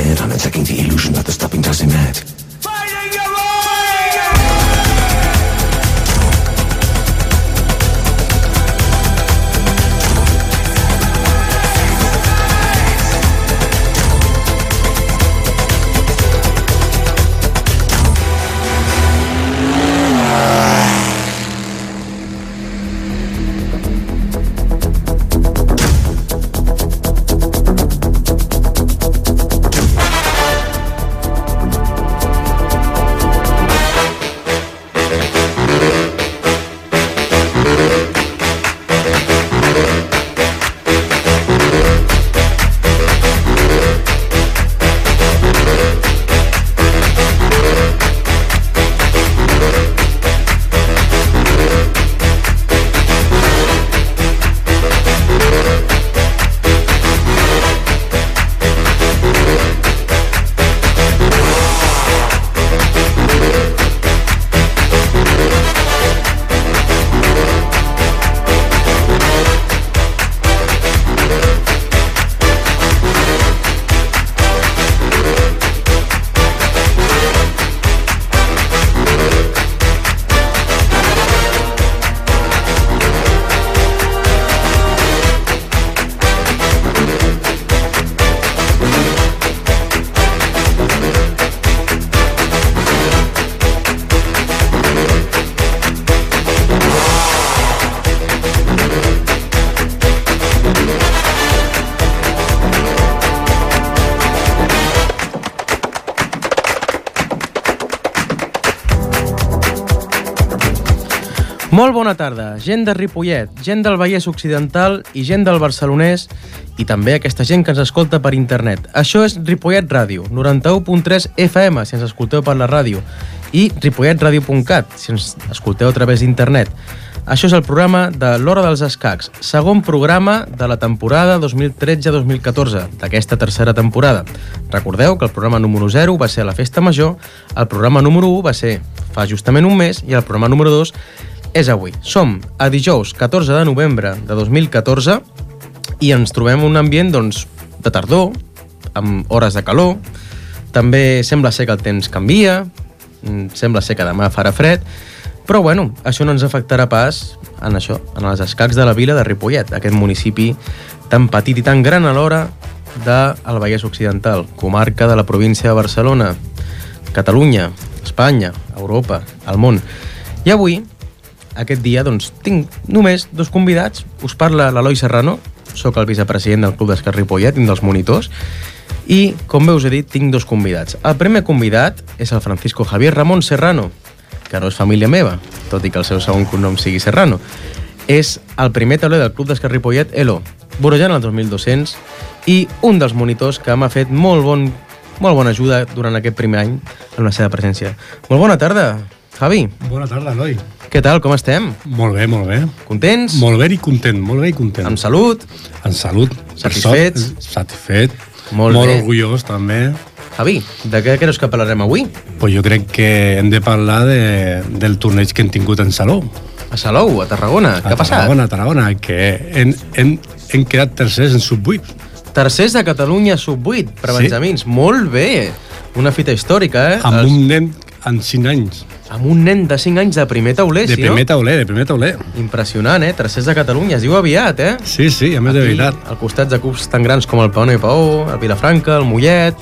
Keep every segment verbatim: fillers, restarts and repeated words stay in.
head, undertaking the illusion that the stopping does him mad. Molt bona tarda, gent de Ripollet, gent del Vallès Occidental i gent del Barcelonès i també aquesta gent que ens escolta per internet. Això és Ripollet Ràdio, noranta-u punt tres F M, si ens escolteu per la ràdio, i ripollet ràdio punt cat, si ens escolteu a través d'internet. Això és el programa de l'Hora dels Escacs, segon programa de la temporada dos mil tretze dos mil catorze, d'aquesta tercera temporada. Recordeu que el programa número zero va ser a la Festa Major, el programa número u va ser fa justament un mes i el programa número dos és avui. Som a dijous catorze de novembre de dos mil catorze i ens trobem en un ambient doncs, de tardor, amb hores de calor. També sembla ser que el temps canvia, sembla ser que demà farà fred, però bueno, això no ens afectarà pas en això, en els escacs de la vila de Ripollet, aquest municipi tan petit i tan gran alhora del Vallès Occidental, comarca de la província de Barcelona, Catalunya, Espanya, Europa, el món. I avui, aquest dia, doncs, tinc només dos convidats. Us parla l'Eloi Serrano, sóc el vicepresident del Club d'Escacs Ripollet, un dels monitors, i, com bé us he dit, tinc dos convidats. El primer convidat és el Francisco Javier Ramón Serrano, que no és família meva, tot i que el seu segon cognom sigui Serrano. És el primer tauler del Club d'Escacs Ripollet, Elo, vorejant el dos mil dos-cents, i un dels monitors que m'ha fet molt, bon, molt bona ajuda durant aquest primer any en la seva presència. Molt bona tarda, Javi. Bona tarda, Eloi. Què tal, com estem? Molt bé, molt bé. Contents? Molt bé i content, molt bé i content. Amb salut? Amb salut. Satisfets? Satisfet. Molt, molt bé. orgullós, també. Javi, de què creus que parlarem avui? Pues jo crec que hem de parlar de, del torneig que hem tingut en Salou. A Salou, a Tarragona. Què ha passat? A Tarragona, a Tarragona, que hem, hem, hem quedat tercers en sub vuit. Tercers de Catalunya sub vuit, per Sí. benjamins. Molt bé. Una fita històrica, eh? Amb Els- un nen en cinc anys. Amb un nen de cinc anys de primer tauler, De sí, primer no? tauler, de primer tauler. Impressionant, eh? Tercers de Catalunya. Es diu aviat, eh? Sí, sí, a més de veritat. Al costat de clubs tan grans com el Paona i Paó, el Vilafranca, el Mollet...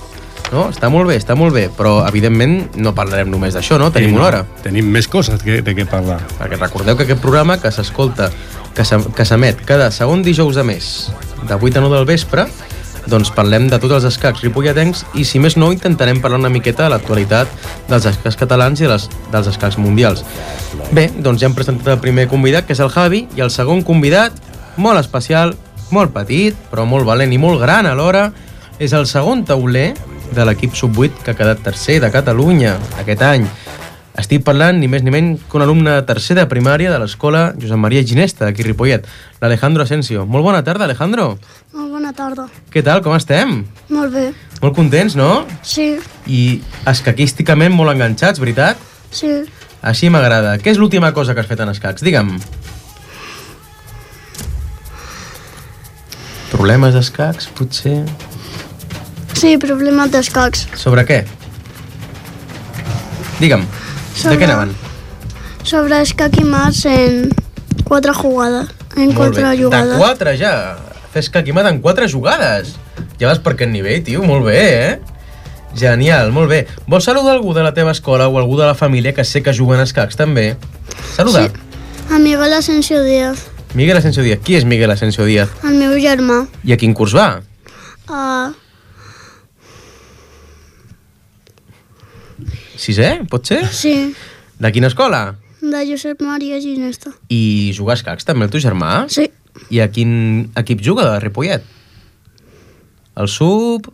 No? Està molt bé, està molt bé. Però, evidentment, no parlarem només d'això, no? Tenim Sí, una hora. Tenim més coses que, de què parlar. Perquè recordeu que aquest programa que s'escolta, que s'em- que s'emet cada segon dijous de mes, de vuit a nou del vespre, doncs parlem de tots els escacs ripolletens i, si més no, intentarem parlar una miqueta de l'actualitat dels escacs catalans i de les, dels escacs mundials. Bé, doncs ja hem presentat el primer convidat, que és el Javi, i el segon convidat, molt especial, molt petit, però molt valent i molt gran alhora, és el segon tauler de l'equip sub vuit que ha quedat tercer de Catalunya aquest any. Estic parlant ni més ni menys que un alumne de tercer de primària de l'escola Josep Maria Ginesta, d'aquí a Ripollet, l'Alejandro Asensio. Molt bona tarda, Alejandro. Molt bona tarda. Què tal, com estem? Molt bé. Molt contents, no? Sí, I escaquísticament molt enganxats, veritat? sí. Així m'agrada. Què és l'última cosa que has fet en escacs? Digue'm. Problemes d'escacs, potser? Sí, problemes d'escacs. Sobre què? Digue'm, Sobre- de què anaven? Sobre escac i mas en quatre jugades. En Molt quatre bé. jugades. De quatre, ja. Fes que aquí en quatre jugades. Ja vas per aquest nivell, tio. Molt bé, eh? Genial, molt bé. Vols saludar algú de la teva escola o algú de la família que sé que juguen a escacs, també? Saludar. Sí. A Miguel Asensio Díaz, Miguel Asensio Díaz. Qui és Miguel Asensio Díaz? el meu germà. I a quin curs va? Uh, Sisè, pot ser? sí, De quina escola? de Josep Maria Ginesta. I jugar a escacs també el teu germà? Sí, I a quin equip juga de Ripollet? El sub...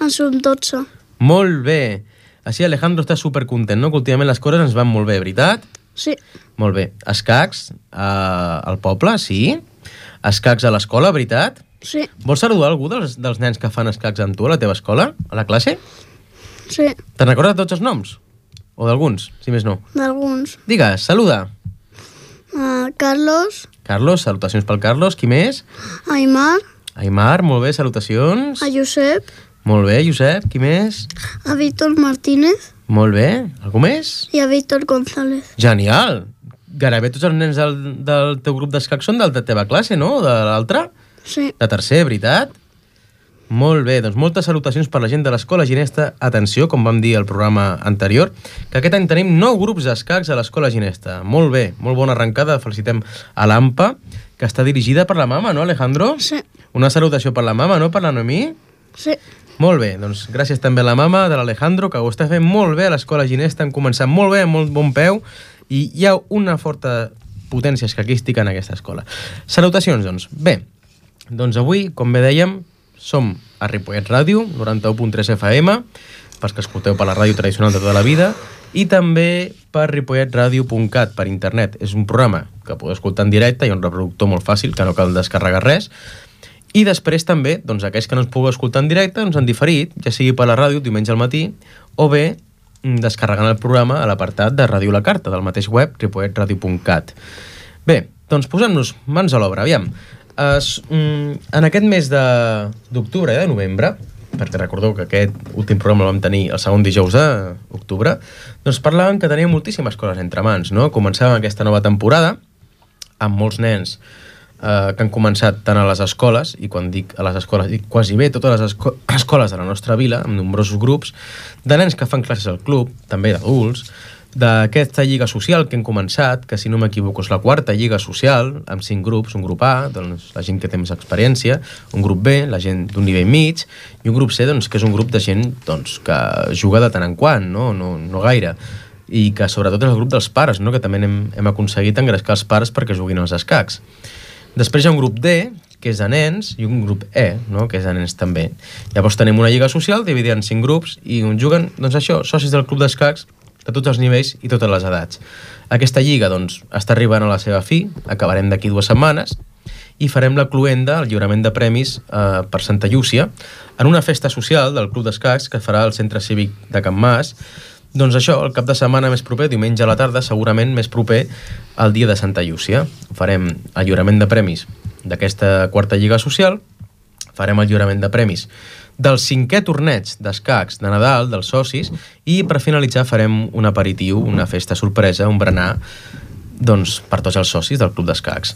en sub dotze. Molt bé. Així Alejandro està supercontent, no? Que últimament les coses ens van molt bé, veritat? Sí, Molt bé. Escacs eh, al poble, sí. Escacs a l'escola, veritat? sí, Vols saludar algú dels, dels nens que fan escacs amb tu a la teva escola, a la classe? sí, Te'n recordes de tots els noms? O d'alguns, si més no? d'alguns. Digues, saluda. Uh, Carlos, Carlos, salutacions pel Carlos. Qui més? Aimar, Aimar, molt bé, salutacions. a Josep, Molt bé, Josep, qui més? a Víctor Martínez Molt bé, algú més? i a Víctor González. Genial. Gairebé tots els nens del, del teu grup d'escacs són de la teva classe, no? De l'altra? Sí, De tercer, veritat? Molt bé, doncs moltes salutacions per la gent de l'Escola Ginesta. Atenció, com vam dir al programa anterior, que aquest any tenim nou grups d'escacs a l'Escola Ginesta. Molt bé, molt bona arrencada. Felicitem a l'AMPA, que està dirigida per la mama, no, Alejandro? sí, Una salutació per la mama, no? Per la Noemí? sí, Molt bé, doncs gràcies també a la mama de l'Alejandro, que ho està fent molt bé a l'Escola Ginesta. Han començat molt bé, amb molt bon peu, i hi ha una forta potència escaquística en aquesta escola. Salutacions, doncs. Bé, doncs avui, com bé dèiem, som a Ripollet Ràdio, noranta-u punt tres F M, pels que escolteu per la ràdio tradicional de tota la vida, i també per ripollet ràdio punt cat, per internet. És un programa que podeu escoltar en directe, hi ha un reproductor molt fàcil, que no cal descarregar res, i després també, doncs, aquells que no ens pugueu escoltar en directe, doncs han diferit, ja sigui per la ràdio, diumenge al matí, o bé descarregant el programa a l'apartat de Ràdio La Carta, del mateix web, ripollet ràdio punt cat. Bé, doncs posem-nos mans a l'obra, aviam. Es, mm, en aquest mes de- d'octubre i de novembre, perquè recordeu que aquest últim programa el vam tenir el segon dijous d'octubre, doncs parlàvem que teníem moltíssimes coses entre mans, no? Començàvem aquesta nova temporada amb molts nens eh, que han començat tant a les escoles, i quan dic a les escoles, dic quasi bé totes les esco escoles de la nostra vila, amb nombrosos grups, de nens que fan classes al club, també d'adults, d'aquesta lliga social que hem començat, que si no m'equivoco és la quarta lliga social, amb cinc grups, un grup A, doncs la gent que té més experiència, un grup B, la gent d'un nivell mig, i un grup C, doncs, que és un grup de gent doncs, que juga de tant en quant, no, no, no gaire, i que sobretot és el grup dels pares, no? Que també hem, hem aconseguit engrescar els pares perquè juguin als escacs. Després hi ha un grup D, que és de nens, i un grup E, no? Que és de nens també. Llavors tenim una lliga social dividida en cinc grups i on juguen, doncs això, socis del club d'escacs de tots els nivells i totes les edats. Aquesta lliga, doncs, està arribant a la seva fi, acabarem d'aquí dues setmanes, i farem la cloenda, el lliurament de premis eh, per Santa Llúcia, en una festa social del club d'escacs que farà al Centre Cívic de Can Mas. Doncs això, el cap de setmana més proper, diumenge a la tarda, segurament més proper al dia de Santa Llúcia. Farem el lliurament de premis d'aquesta quarta lliga social, farem el lliurament de premis del cinquè torneig d'escacs de Nadal, dels socis, i per finalitzar farem un aperitiu, una festa sorpresa, un berenar, doncs, per tots els socis del club d'escacs.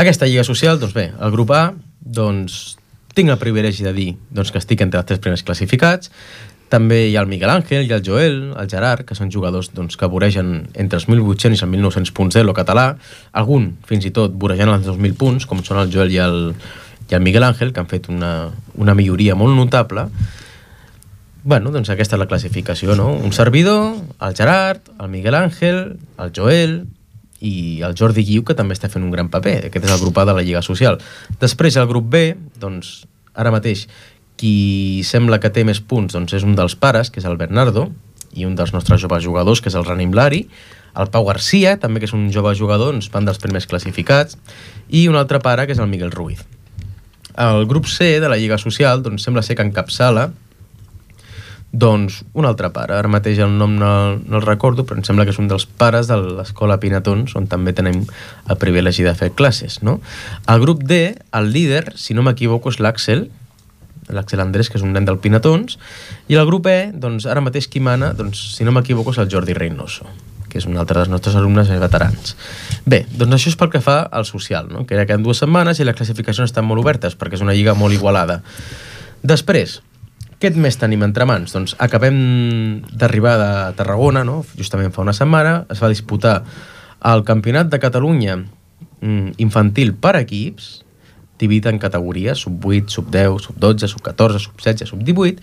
Aquesta lliga social, doncs bé, el grup A, doncs, tinc el privilegi de dir doncs, que estic entre els tres primers classificats. També hi ha el Miguel Ángel, i el Joel, el Gerard, que són jugadors doncs, que voregen entre els mil vuit-cents i els mil nou-cents punts de lo català, algun, fins i tot, vorejant els dos mil punts, com són el Joel i el, i el Miguel Ángel, que han fet una, una milloria molt notable. Bueno, doncs aquesta és la classificació, no? Un servidor, el Gerard, el Miguel Ángel, el Joel i el Jordi Guiu, que també està fent un gran paper. Aquest és el grup A de la Lliga Social. Després, el grup B, doncs, ara mateix, qui sembla que té més punts doncs és un dels pares, que és el Bernardo, i un dels nostres joves jugadors, que és el Ranim Lari, el Pau Garcia, també que és un jove jugador, doncs van dels primers classificats, i un altre pare, que és el Miguel Ruiz. El grup C de la Lliga Social doncs sembla ser que encapçala doncs un altre pare, ara mateix el nom no, no el recordo, però em sembla que és un dels pares de l'escola Pinatons, on també tenim el privilegi de fer classes, no? El grup D, el líder, si no m'equivoco, és l'Àxel, l'Axel Andrés, que és un nen del Pinatons, i el grup E, doncs, ara mateix qui mana, doncs, si no m'equivoco, és el Jordi Reynoso, que és un altre dels nostres alumnes veterans. Bé, doncs això és pel que fa al social, no? Que era que en dues setmanes i les classificacions estan molt obertes, perquè és una lliga molt igualada. Després, què més tenim entre mans? Doncs acabem d'arribar de Tarragona, no? Justament fa una setmana, es va disputar el Campionat de Catalunya infantil per equips, dividit en categories, sub vuit, sub deu, sub dotze, sub catorze, sub setze, sub divuit,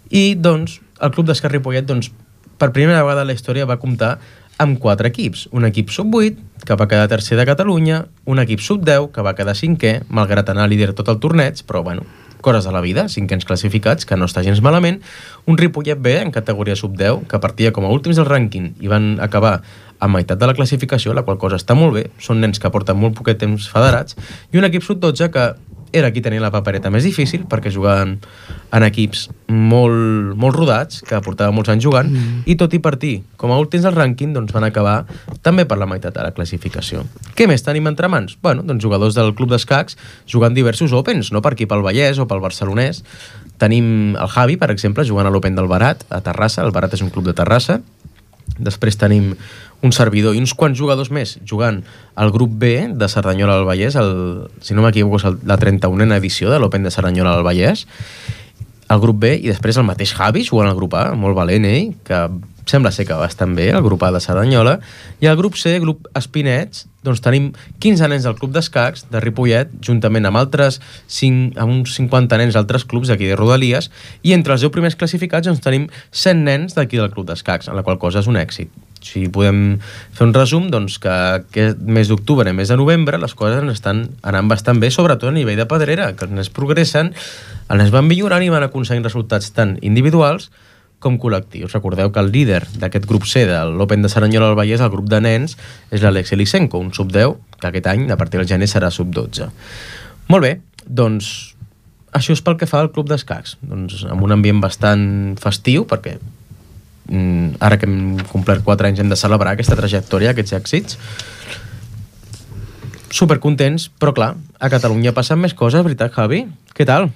i doncs el Club d'Escacs Ripollet, doncs, per primera vegada en la història va comptar amb quatre equips. Un equip sub vuit, que va quedar tercer de Catalunya, un equip sub deu, que va quedar cinquè, malgrat anar líder tot el torneig, però bueno, coses de la vida, cinquens classificats, que no està gens malament, un Ripollet B en categoria sub deu, que partia com a últims del rànquing i van acabar a meitat de la classificació, la qual cosa està molt bé, són nens que porten molt poquet temps federats, i un equip sub dotze que era qui tenia la papereta més difícil, perquè jugaven en equips molt, molt rodats, que portaven molts anys jugant, mm. i tot i partir com a últims del rànquing, doncs van acabar també per la meitat de la classificació. Què més tenim entre mans? Bueno, doncs jugadors del Club d'Escacs jugant diversos Opens, no per aquí pel Vallès o pel Barcelonès. Tenim el Javi, per exemple, jugant a l'Open del Barat, a Terrassa. El Barat és un club de Terrassa. Després tenim un servidor i uns quants jugadors més jugant al grup B de Cerdanyola del Vallès, el, si no m'equivoco és el, la trenta-unena edició de l'Open de Cerdanyola del Vallès, el grup B, i després el mateix Javi jugant al grup A, molt valent ell, que sembla ser que va bastant bé, el grup A de Cerdanyola, i el grup C, grup Espinets, doncs tenim quinze nens del Club d'Escacs de Ripollet, juntament amb altres cinc, amb uns cinquanta nens d'altres clubs d'aquí de Rodalies, i entre els deu primers classificats doncs tenim cent nens d'aquí del Club d'Escacs, en la qual cosa és un èxit. Si podem fer un resum, doncs que aquest mes d'octubre i mes de novembre les coses estan anant bastant bé, sobretot a nivell de pedrera, que els nens progressen, els nens van millorant i van aconseguint resultats tant individuals com col·lectius. Recordeu que el líder d'aquest grup C de l'Open de Cerdanyola del Vallès, el grup de nens, és l'Alex Elisenko, un sub deu, que aquest any, a partir del gener, serà sub dotze. Molt bé, doncs això és pel que fa al Club d'Escacs. Doncs amb un ambient bastant festiu, perquè mm, ara que hem complert quatre anys hem de celebrar aquesta trajectòria, aquests èxits. Supercontents, però clar, a Catalunya passen més coses, veritat, Javi? Què tal?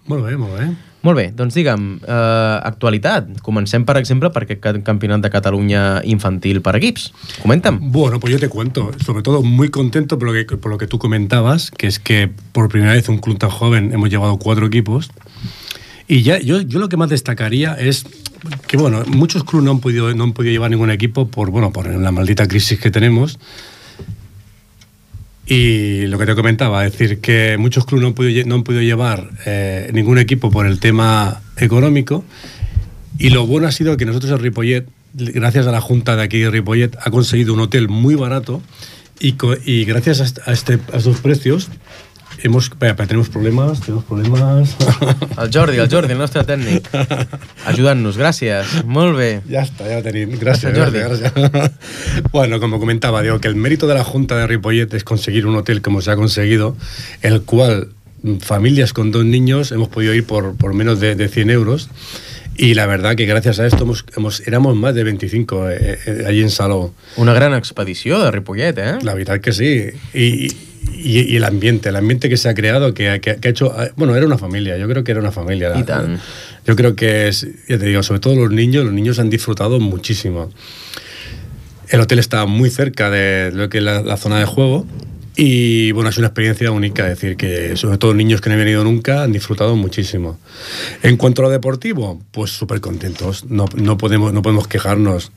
Molt bé, molt bé. Molt bé, doncs digue'm, eh, actualitat. Comencem, per exemple, per aquest Campionat de Cataluña infantil per equips. Coméntame. Bueno, pues yo te cuento. Sobre todo muy contento por lo que, por lo que tú comentabas, que es que por primera vez un club tan joven hemos llevado cuatro equipos. Y ya yo, yo lo que más destacaría es que, bueno, muchos clubes no han podido, no han podido llevar ningún equipo por, bueno, por la maldita crisis que tenemos. Y lo que te comentaba, es decir, que muchos clubes no han podido, no han podido llevar eh, ningún equipo por el tema económico, y lo bueno ha sido que nosotros en Ripollet, gracias a la Junta de aquí de Ripollet, ha conseguido un hotel muy barato, y, y gracias a, este, a estos precios hemos, espera, tenemos problemas, tenemos problemas. El Jordi, el Jordi, el nostre tècnic, ayudant-nos, gràcies, molt bé. Ya está, ya lo tenéis, gracias, gracias, gracias. Bueno, como comentaba, digo que el mérito de la Junta de Ripollet es conseguir un hotel como se ha conseguido, el cual familias con dos niños hemos podido ir por, por menos de, de cien euros, y la verdad que gracias a esto hemos, hemos, éramos más de veinticinco eh, eh, allí en Salou. Una gran expedició de Ripollet, eh? La verdad que sí, y... Y, y el ambiente, el ambiente que se ha creado, que, que, que ha hecho... Bueno, era una familia, yo creo que era una familia. Y tan. Yo creo que, es, ya te digo, sobre todo los niños, los niños han disfrutado muchísimo. El hotel está muy cerca de lo que es la, la zona de juego, y bueno, es una experiencia única, es decir, que sobre todo niños que no han venido nunca han disfrutado muchísimo. En cuanto a lo deportivo, pues súper contentos, no, no, podemos, no podemos quejarnos.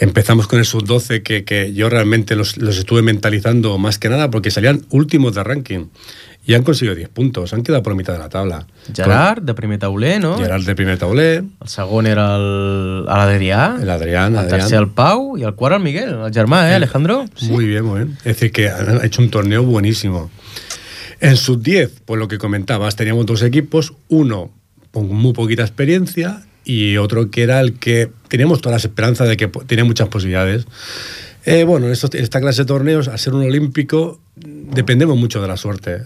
Empezamos con el sub doce, que, que yo realmente los, los estuve mentalizando más que nada porque salían últimos de ranking y han conseguido diez puntos, han quedado por mitad de la tabla. Gerard, de primer tauler, no? Gerard, de primer tauler. El segon era l'Adrià. L'Adrián. El tercer el Pau i el quart el Miguel, el germà, ¿eh, Alejandro? Sí. Muy bien, muy bien. Es decir, que han hecho un torneo buenísimo. En sub diez, pues lo que comentabas, teníamos dos equipos, uno con muy poquita experiencia y otro que era el que teníamos todas las esperanzas de que tenía muchas posibilidades. Eh, bueno, esto, esta clase de torneos, al ser un olímpico, dependemos mucho de la suerte.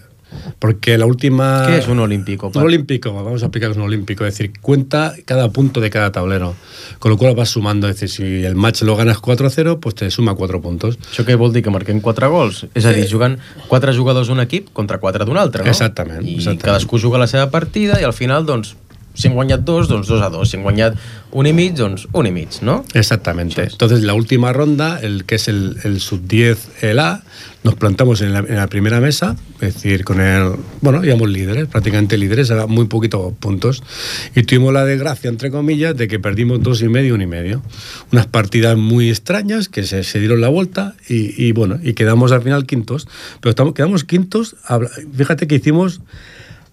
Porque la última... ¿Qué es un olímpico? Un olímpico, vamos a explicar que es un olímpico, es decir, cuenta cada punto de cada tablero, con lo cual vas sumando, es decir, si el match lo ganas cuatro a cero, pues te suma cuatro puntos. Això què vol dir? Que marquem quatre gols? És a dir, jugant quatre jugadors d'un equip contra quatre d'un altre, no? Exactament. I exactament. cadascú juga la seva partida i al final, doncs, si han guanyat dos, doncs dos a dos. Si han guanyat un i mig, doncs un i mig, ¿no? Exactamente. Entonces, la última ronda, el que es el, el sub diez, el A, nos plantamos en la, en la primera mesa, es decir, con el... Bueno, íbamos líderes, prácticamente líderes, a muy poquitos puntos. Y tuvimos la desgracia, entre comillas, de que perdimos dos y medio, un y medio. Unas partidas muy extrañas que se, se dieron la vuelta y, y, bueno, y quedamos al final quintos. Pero estamos, quedamos quintos, fíjate que hicimos,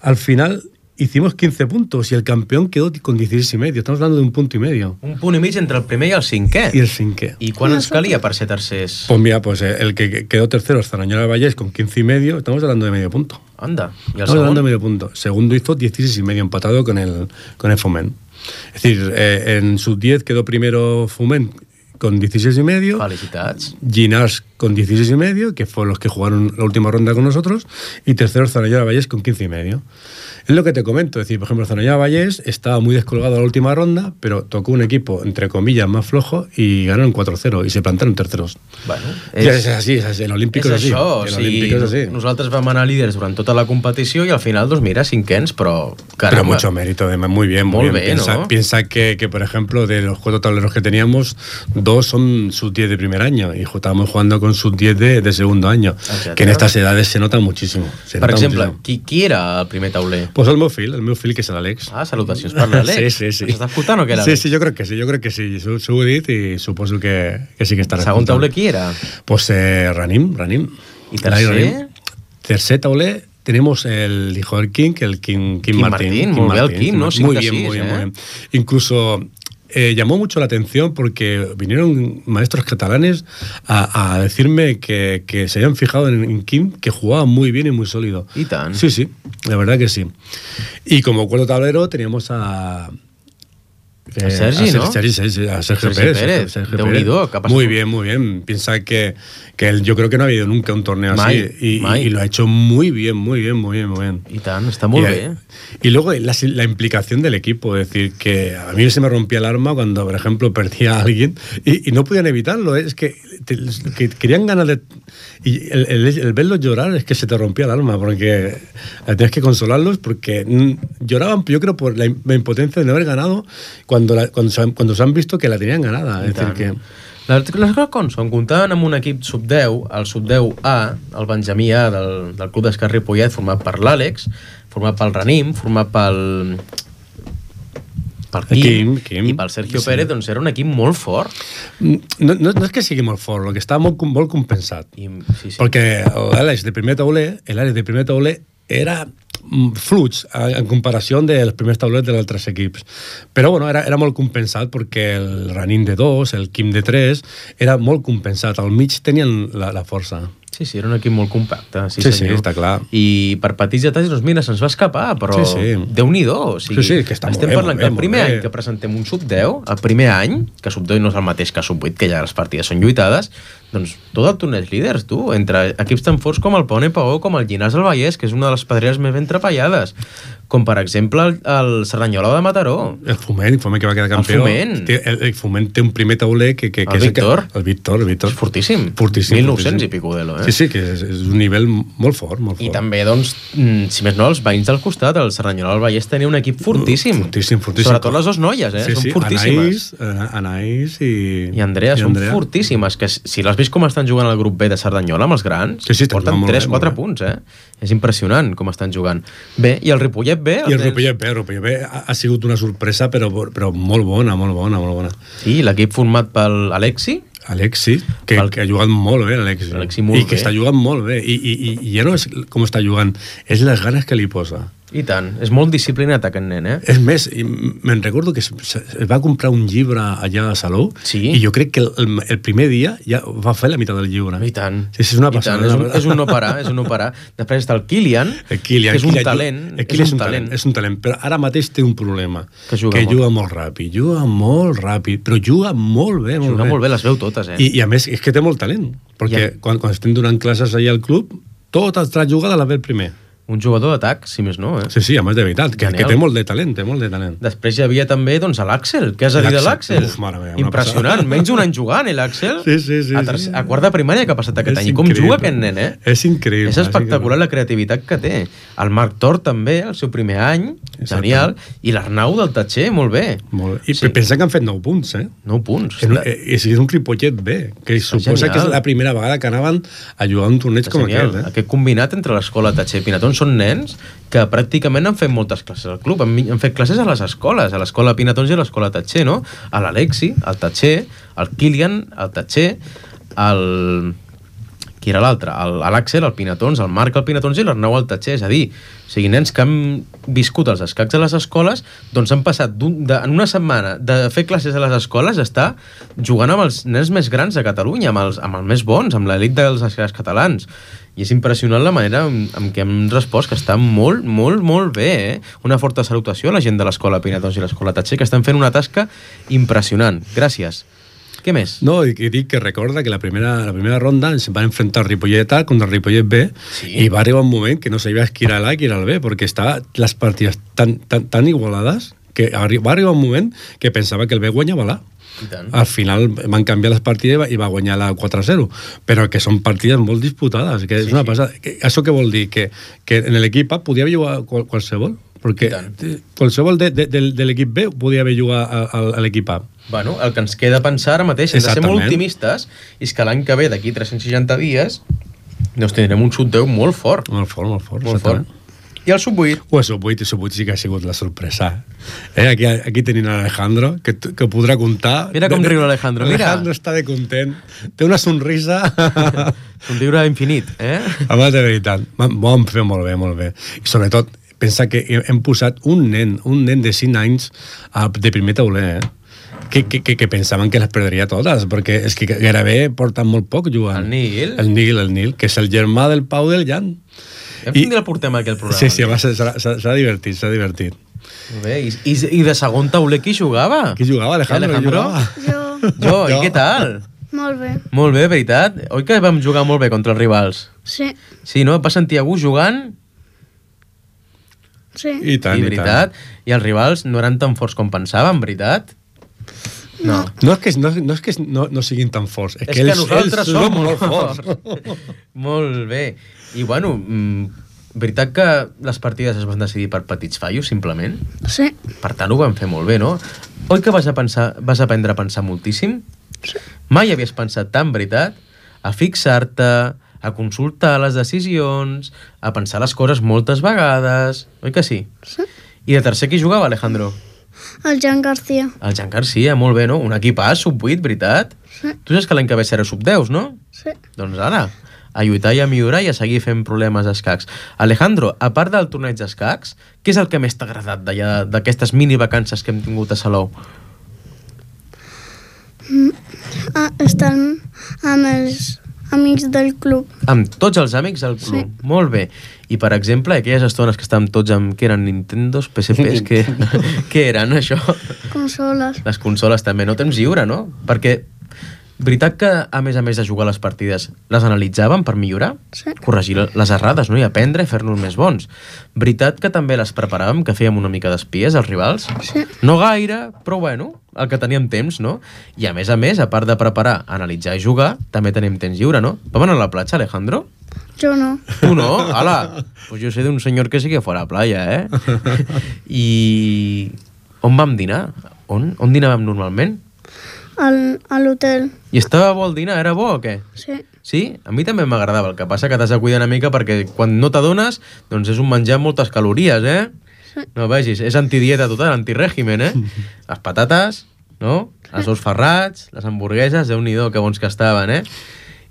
al final... Hicimos quince puntos y el campeón quedó con dieciséis y medio. Estamos hablando de un punto y medio. Un punt i mig entre el primer i el cinquè. Y el cinquè. I quan ens calia per ser tercers? Pues mira, pues el que quedó tercero es Cerdanyola del Vallès con quince y medio. Estamos hablando de medio punto. Anda. ¿Y el Estamos hablando segundo? de medio punto. Segundo hizo dieciséis y medio, empatado con el, con el Foment. Es decir, eh, en sub diez quedó primero Foment con dieciséis y medio. Felicitats. Ginars con dieciséis y medio, que fueron los que jugaron la última ronda con nosotros, y tercero Cerdanyola del Vallès con quince y medio. Es lo que te comento, es decir, por ejemplo, Cerdanyola del Vallès estaba muy descolgado la última ronda, pero tocó un equipo, entre comillas, más flojo y ganaron cuatro cero y se plantaron terceros. Bueno, és, ja, és així, és així, l'Olímpic és, és és això, així. o sigui, és així. nosaltres vam anar líders durant tota la competició i al final, doncs mira, cinquens, però caramba. Pero mucho mérito, además, muy bien, muy Molt bien. bé, piensa, ¿no? piensa que, que, por ejemplo, de los cuatro tableros que teníamos, dos son sub diez de primer año y estábamos jugando con sub diez de, de segundo año, Exacte. que en estas edades se nota muchísimo. Se Per nota exemple, muchísimo. qui, qui era el primer tauler? Pues el meu fill, el meu fill, que és l'Àlex. Ah, salutacions per l'Àlex. Sí, sí, sí. S'està escoltant o què, Sí, l'Àlex? sí, jo crec que sí, jo crec que sí. S'ho he dit i suposo que, que sí que estarà Segon escoltant. tauler qui era? Pues eh, Ranim, Ranim. ¿Y tercer? Ranim. Tercer tauler tenemos el hijo del King, el Kim, Kim, Kim Martín. Martín, muy bien el Kim, ¿no? Muy cinc a bien, sis, muy bien, eh? muy bien. Incluso eh, llamó mucho la atención porque vinieron maestros catalanes a, a decirme que, que se habían fijado en, en Kim, que jugaba muy bien y muy sólido. I tant. Sí, sí, la verdad que sí. Y como cuarto tablero teníamos a... A Sergi, a Ser- ¿no? Sergi, Sergi, a Sergio Sergi Pérez. Pérez, Sergio Déu-n'hi-do, Pérez. ¿qué ha pasado? Muy bien, muy bien. Piensa que, que él, yo creo que no ha habido nunca un torneo Mai, así. Y, mai. y lo ha hecho muy bien, muy bien, muy bien, muy bien. I tant, està molt y, bé. y luego la, la implicación del equipo, es decir, que a mí se me rompía el alma cuando, por ejemplo, perdía a alguien y, y no podían evitarlo. ¿eh? Es que, te, que querían ganar de... Y el, el, el verlos llorar es que se te rompía el alma, porque tienes que consolarlos, porque mm, lloraban, yo creo, por la, la impotencia de no haber ganado cuando, la, cuando, se han, cuando se han visto que la tenían ganada. Es decir, que... Les coses com són, comptaven amb un equip sub deu, el sub deu A, el Benjamí A del, del Club d'Esquerra Ripollet, format per l'Àlex, format pel Ranim, format pel pel Quim, Quim, Quim. i pel Sergio Sí. Pérez, doncs era un equip molt fort. No, no, no és que sigui molt fort, el que està molt, molt compensat. I, sí, sí. Perquè l'Àlex de primer tauler, l'Àlex de primer tauler era mm, fluix en comparació dels primers taulers dels altres equips. Però bueno, era, era molt compensat perquè el Ranim de dos, el Quim de tres, era molt compensat. Al mig tenien la, la força. Sí, sí, era un equip molt compacte. Sí, Sí, sí, senyor. està clar. I per petits detalls, doncs mira, se'ns va escapar, però Sí, sí. Déu-n'hi-do. O sigui, Sí, sí, que està molt estem bé, parlant molt que bé, el primer molt bé. any que presentem un sub deu, el primer any, que sub deu no és el mateix que sub vuit, que ja les partides són lluitades, doncs tot el torneig líders, tu, entre equips tan forts com el Pone Pagó, com el Llinars del Vallès, que és una de les pedreres més ben trepallades, com per exemple el, el Cerdanyola de Mataró. El Foment, el Foment que va quedar campió. Foment. Té, el, el Foment té un primer tauler que, que, que El és Víctor. El, que, el Víctor, el Víctor. És fortíssim. Fortíssim. mil nou-cents fortíssim. i pico d'elo, eh? Sí, sí, que és, és un nivell molt fort, molt fort. I també, doncs, mm, si més no, els veïns del costat, el Cerdanyola del Vallès tenia un equip fortíssim. Fortíssim, fortíssim. Sobretot les dues noies, eh? Sí, Són sí, fortíssimes. Anaïs, Anaïs i... I Andrea, i són Andrea. fortíssimes, que si l'has vist com estan jugant al grup B de Cerdanyola amb els grans, Sí, sí, estan porten jugant molt tres bé, quatre molt bé. punts, eh? És impressionant com estan jugant. Bé, i el Ripollet B? I el Ripollet B, el Ripollet B ha, ha sigut una sorpresa, però, però molt bona, molt bona, molt bona. Sí, l'equip format pel Alexi, Alexi, que, Val. que ha jugat molt bé, Alexi. Alexi molt I que bé. està jugant molt bé. I, i, i, i ja no és com està jugant, és les ganes que li posa. i tant. És molt disciplinat aquest nen, eh? És més, i me'n recordo que es, es va comprar un llibre allà a Salou Sí. i jo crec que el, el primer dia ja va fer la meitat del llibre. I tant. Sí, sí, és una I tant. passada. És un, és un no parar, és un no parar. Després està el Kilian, El Kilian, que és un Kilian, talent. El Kilian és un talent, és un talent, però ara mateix té un problema. Que juga que molt. juga molt ràpid, juga molt ràpid, però juga molt bé, molt Juga bé. molt bé, les veu totes, eh? I, I a més, és que té molt talent, perquè Ja. quan, quan estem donant classes allà al club, totes les jugades les ve el primer. Un jugador d'atac, si més no, eh? Sí, sí, a més de veritat, que, Genial. que té molt de talent, té molt de talent. Després hi havia també doncs, l'Àxel. Què has de dir de l'Àxel? Uf, mare meva, una Impressionant. passada. Menys un any jugant, eh, l'Àxel? Sí, sí, sí, A, terc- sí. a quart de primària que ha passat aquest És any. I com increïble. juga aquest nen, eh? És increïble. És espectacular la creativitat que té. El Marc Tor també, el seu primer any, genial. I l'Arnau del Tatxer, molt bé. Molt... I Sí. sí. pensa que han fet nou punts, eh? Nou punts. És, un- eh, és un Ripollet bé, que suposa genial. que és la primera vegada que anaven a jugar a un torneig És com genial. aquest, eh? Aquest combinat entre l'escola Tatxer i Pinatons són nens que pràcticament han fet moltes classes al club. Han, han fet classes a les escoles, a l'escola Pinatons i a l'escola Tatxer, no? A l'Alexi, al Tatxer, al Kilian, al Tatxer, al... Qui era l'altre? El- L'Àxel, el Pinatons, el Marc, el Pinatons i l'Arnau al Tatxer. És a dir, o sigui, nens que han viscut els escacs a les escoles, doncs han passat d'un- de, en una setmana de fer classes a les escoles a estar jugant amb els nens més grans de Catalunya, amb els, amb els més bons, amb l'elit dels escacs catalans. I és impressionant la manera amb, amb què hem respost, que està molt, molt, molt bé, eh? Una forta salutació a la gent de l'escola Pinatons i l'escola Tatxer, que estan fent una tasca impressionant. Gràcies. Què més? No, i, i dic que recorda que la primera, la primera ronda ens van enfrentar el Ripollet A contra el Ripollet B, Sí. i va arribar un moment que no sabia qui era l'A i qui era el B, perquè estaven les partides tan, tan, tan igualades que arri va arribar un moment que pensava que el B guanyava l'A. I tant. Al final van canviar les partides i va- i va guanyar la quatre a zero, però que són partides molt disputades, que és Sí, una sí. passada. Que, això què vol dir? Que, que en l'equip A podia haver jugat qual, qualsevol, perquè I tant. qualsevol de, de, de, de l'equip B podia haver jugat a, a, a l'equip A. Bueno, el que ens queda pensar ara mateix, hem de ser Exactament. molt optimistes, és que l'any que ve, d'aquí tres-cents seixanta dies, doncs tindrem un sub deu molt fort. Molt fort, molt fort. Molt fort. exactament. I el sub vuit? O el sub vuit, el sub vuit sí que ha sigut la sorpresa. Eh, aquí, aquí tenim l'Alejandro, que, que podrà comptar... Mira com riu l'Alejandro, mira. Alejandro està de content, té una sonrisa... Somriure infinit, eh? Home, de veritat, ho vam fer molt bé, molt bé. I sobretot, pensa que hem posat un nen, un nen de cinc anys a- de primer tauler, eh? Que, que, que, que pensaven que les perdria totes, perquè és que gairebé porten molt poc jugant. El Nil. El Nil, el Nil, que és el germà del Pau del Jan. Ja I- I... el portem aquí al programa. Sí, sí, va ser- s'ha s'ha- s'ha divertit, s'ha divertit. Molt bé. I, i, I de segon tauler qui jugava? Qui jugava, Alejandro? Alejandro? Qui jugava? Jo, Jo, i Jo. què tal? molt bé. Molt bé, veritat? Oi que vam jugar molt bé contra els rivals? Sí, Sí, no? Et vas sentir a gust jugant? sí. I tant, I i, veritat? tant. I els rivals no eren tan forts com pensàvem, veritat? No. No és que, no, no, és que no, no siguin tan forts, és, És que, que ells, nosaltres ells som són molt forts. forts. Molt bé. I bueno, mm, veritat que les partides es van decidir per petits fallos, simplement? Sí, Per tant, ho vam fer molt bé, no? Oi que vas, a pensar, vas aprendre a pensar moltíssim? Sí. Mai havies pensat tant, veritat? A fixar-te, a consultar les decisions, a pensar les coses moltes vegades... Oi que sí? sí. I de tercer qui jugava, Alejandro? El Jan García. El Jan Garcia, molt bé, no? Un equipàs, sub vuit, veritat? Sí, Tu saps que l'any que ve serà sub deu, no? sí. Doncs ara, a lluitar i a millorar i a seguir fent problemes d'escacs. Alejandro, a part del torneig d'escacs, què és el que més t'ha agradat d'allà, d'aquestes mini vacances que hem tingut a Salou? Ah, estar amb els amics del club. Amb tots els amics del club. Sí. Molt bé. I, per exemple, aquelles estones que estàvem tots amb... Què eren? Nintendos? P S Ps? Què, què eren, això? Consoles. Les consoles també. No temps lliure, no? Perquè, veritat que, a més a més de jugar a les partides, les analitzàvem per millorar? Sí. Corregir les errades, no? I aprendre i fer-nos més bons. Veritat que també les preparàvem, que fèiem una mica d'espies als rivals? Sí, No gaire, però bueno, el que teníem temps, no? I a més a més, a part de preparar, analitzar i jugar, també tenim temps lliure, no? Vam anar a la platja, Alejandro? jo no. Tu no? Ala, pues yo sé de un señor que sí que fue a la playa, eh? I on vam dinar? On, on dinàvem normalment? Al, a l'hotel. I estava bo el dinar? Era bo o què? Sí, Sí? A mi també m'agradava. El que passa que t'has de cuidar una mica perquè quan no t'adones, doncs és un menjar amb moltes calories, eh? Sí. No vegis, és antidieta total, antirègimen, eh? Les patates, no? Els ous ferrats, les hamburgueses, déu-n'hi-do, que bons que estaven, eh?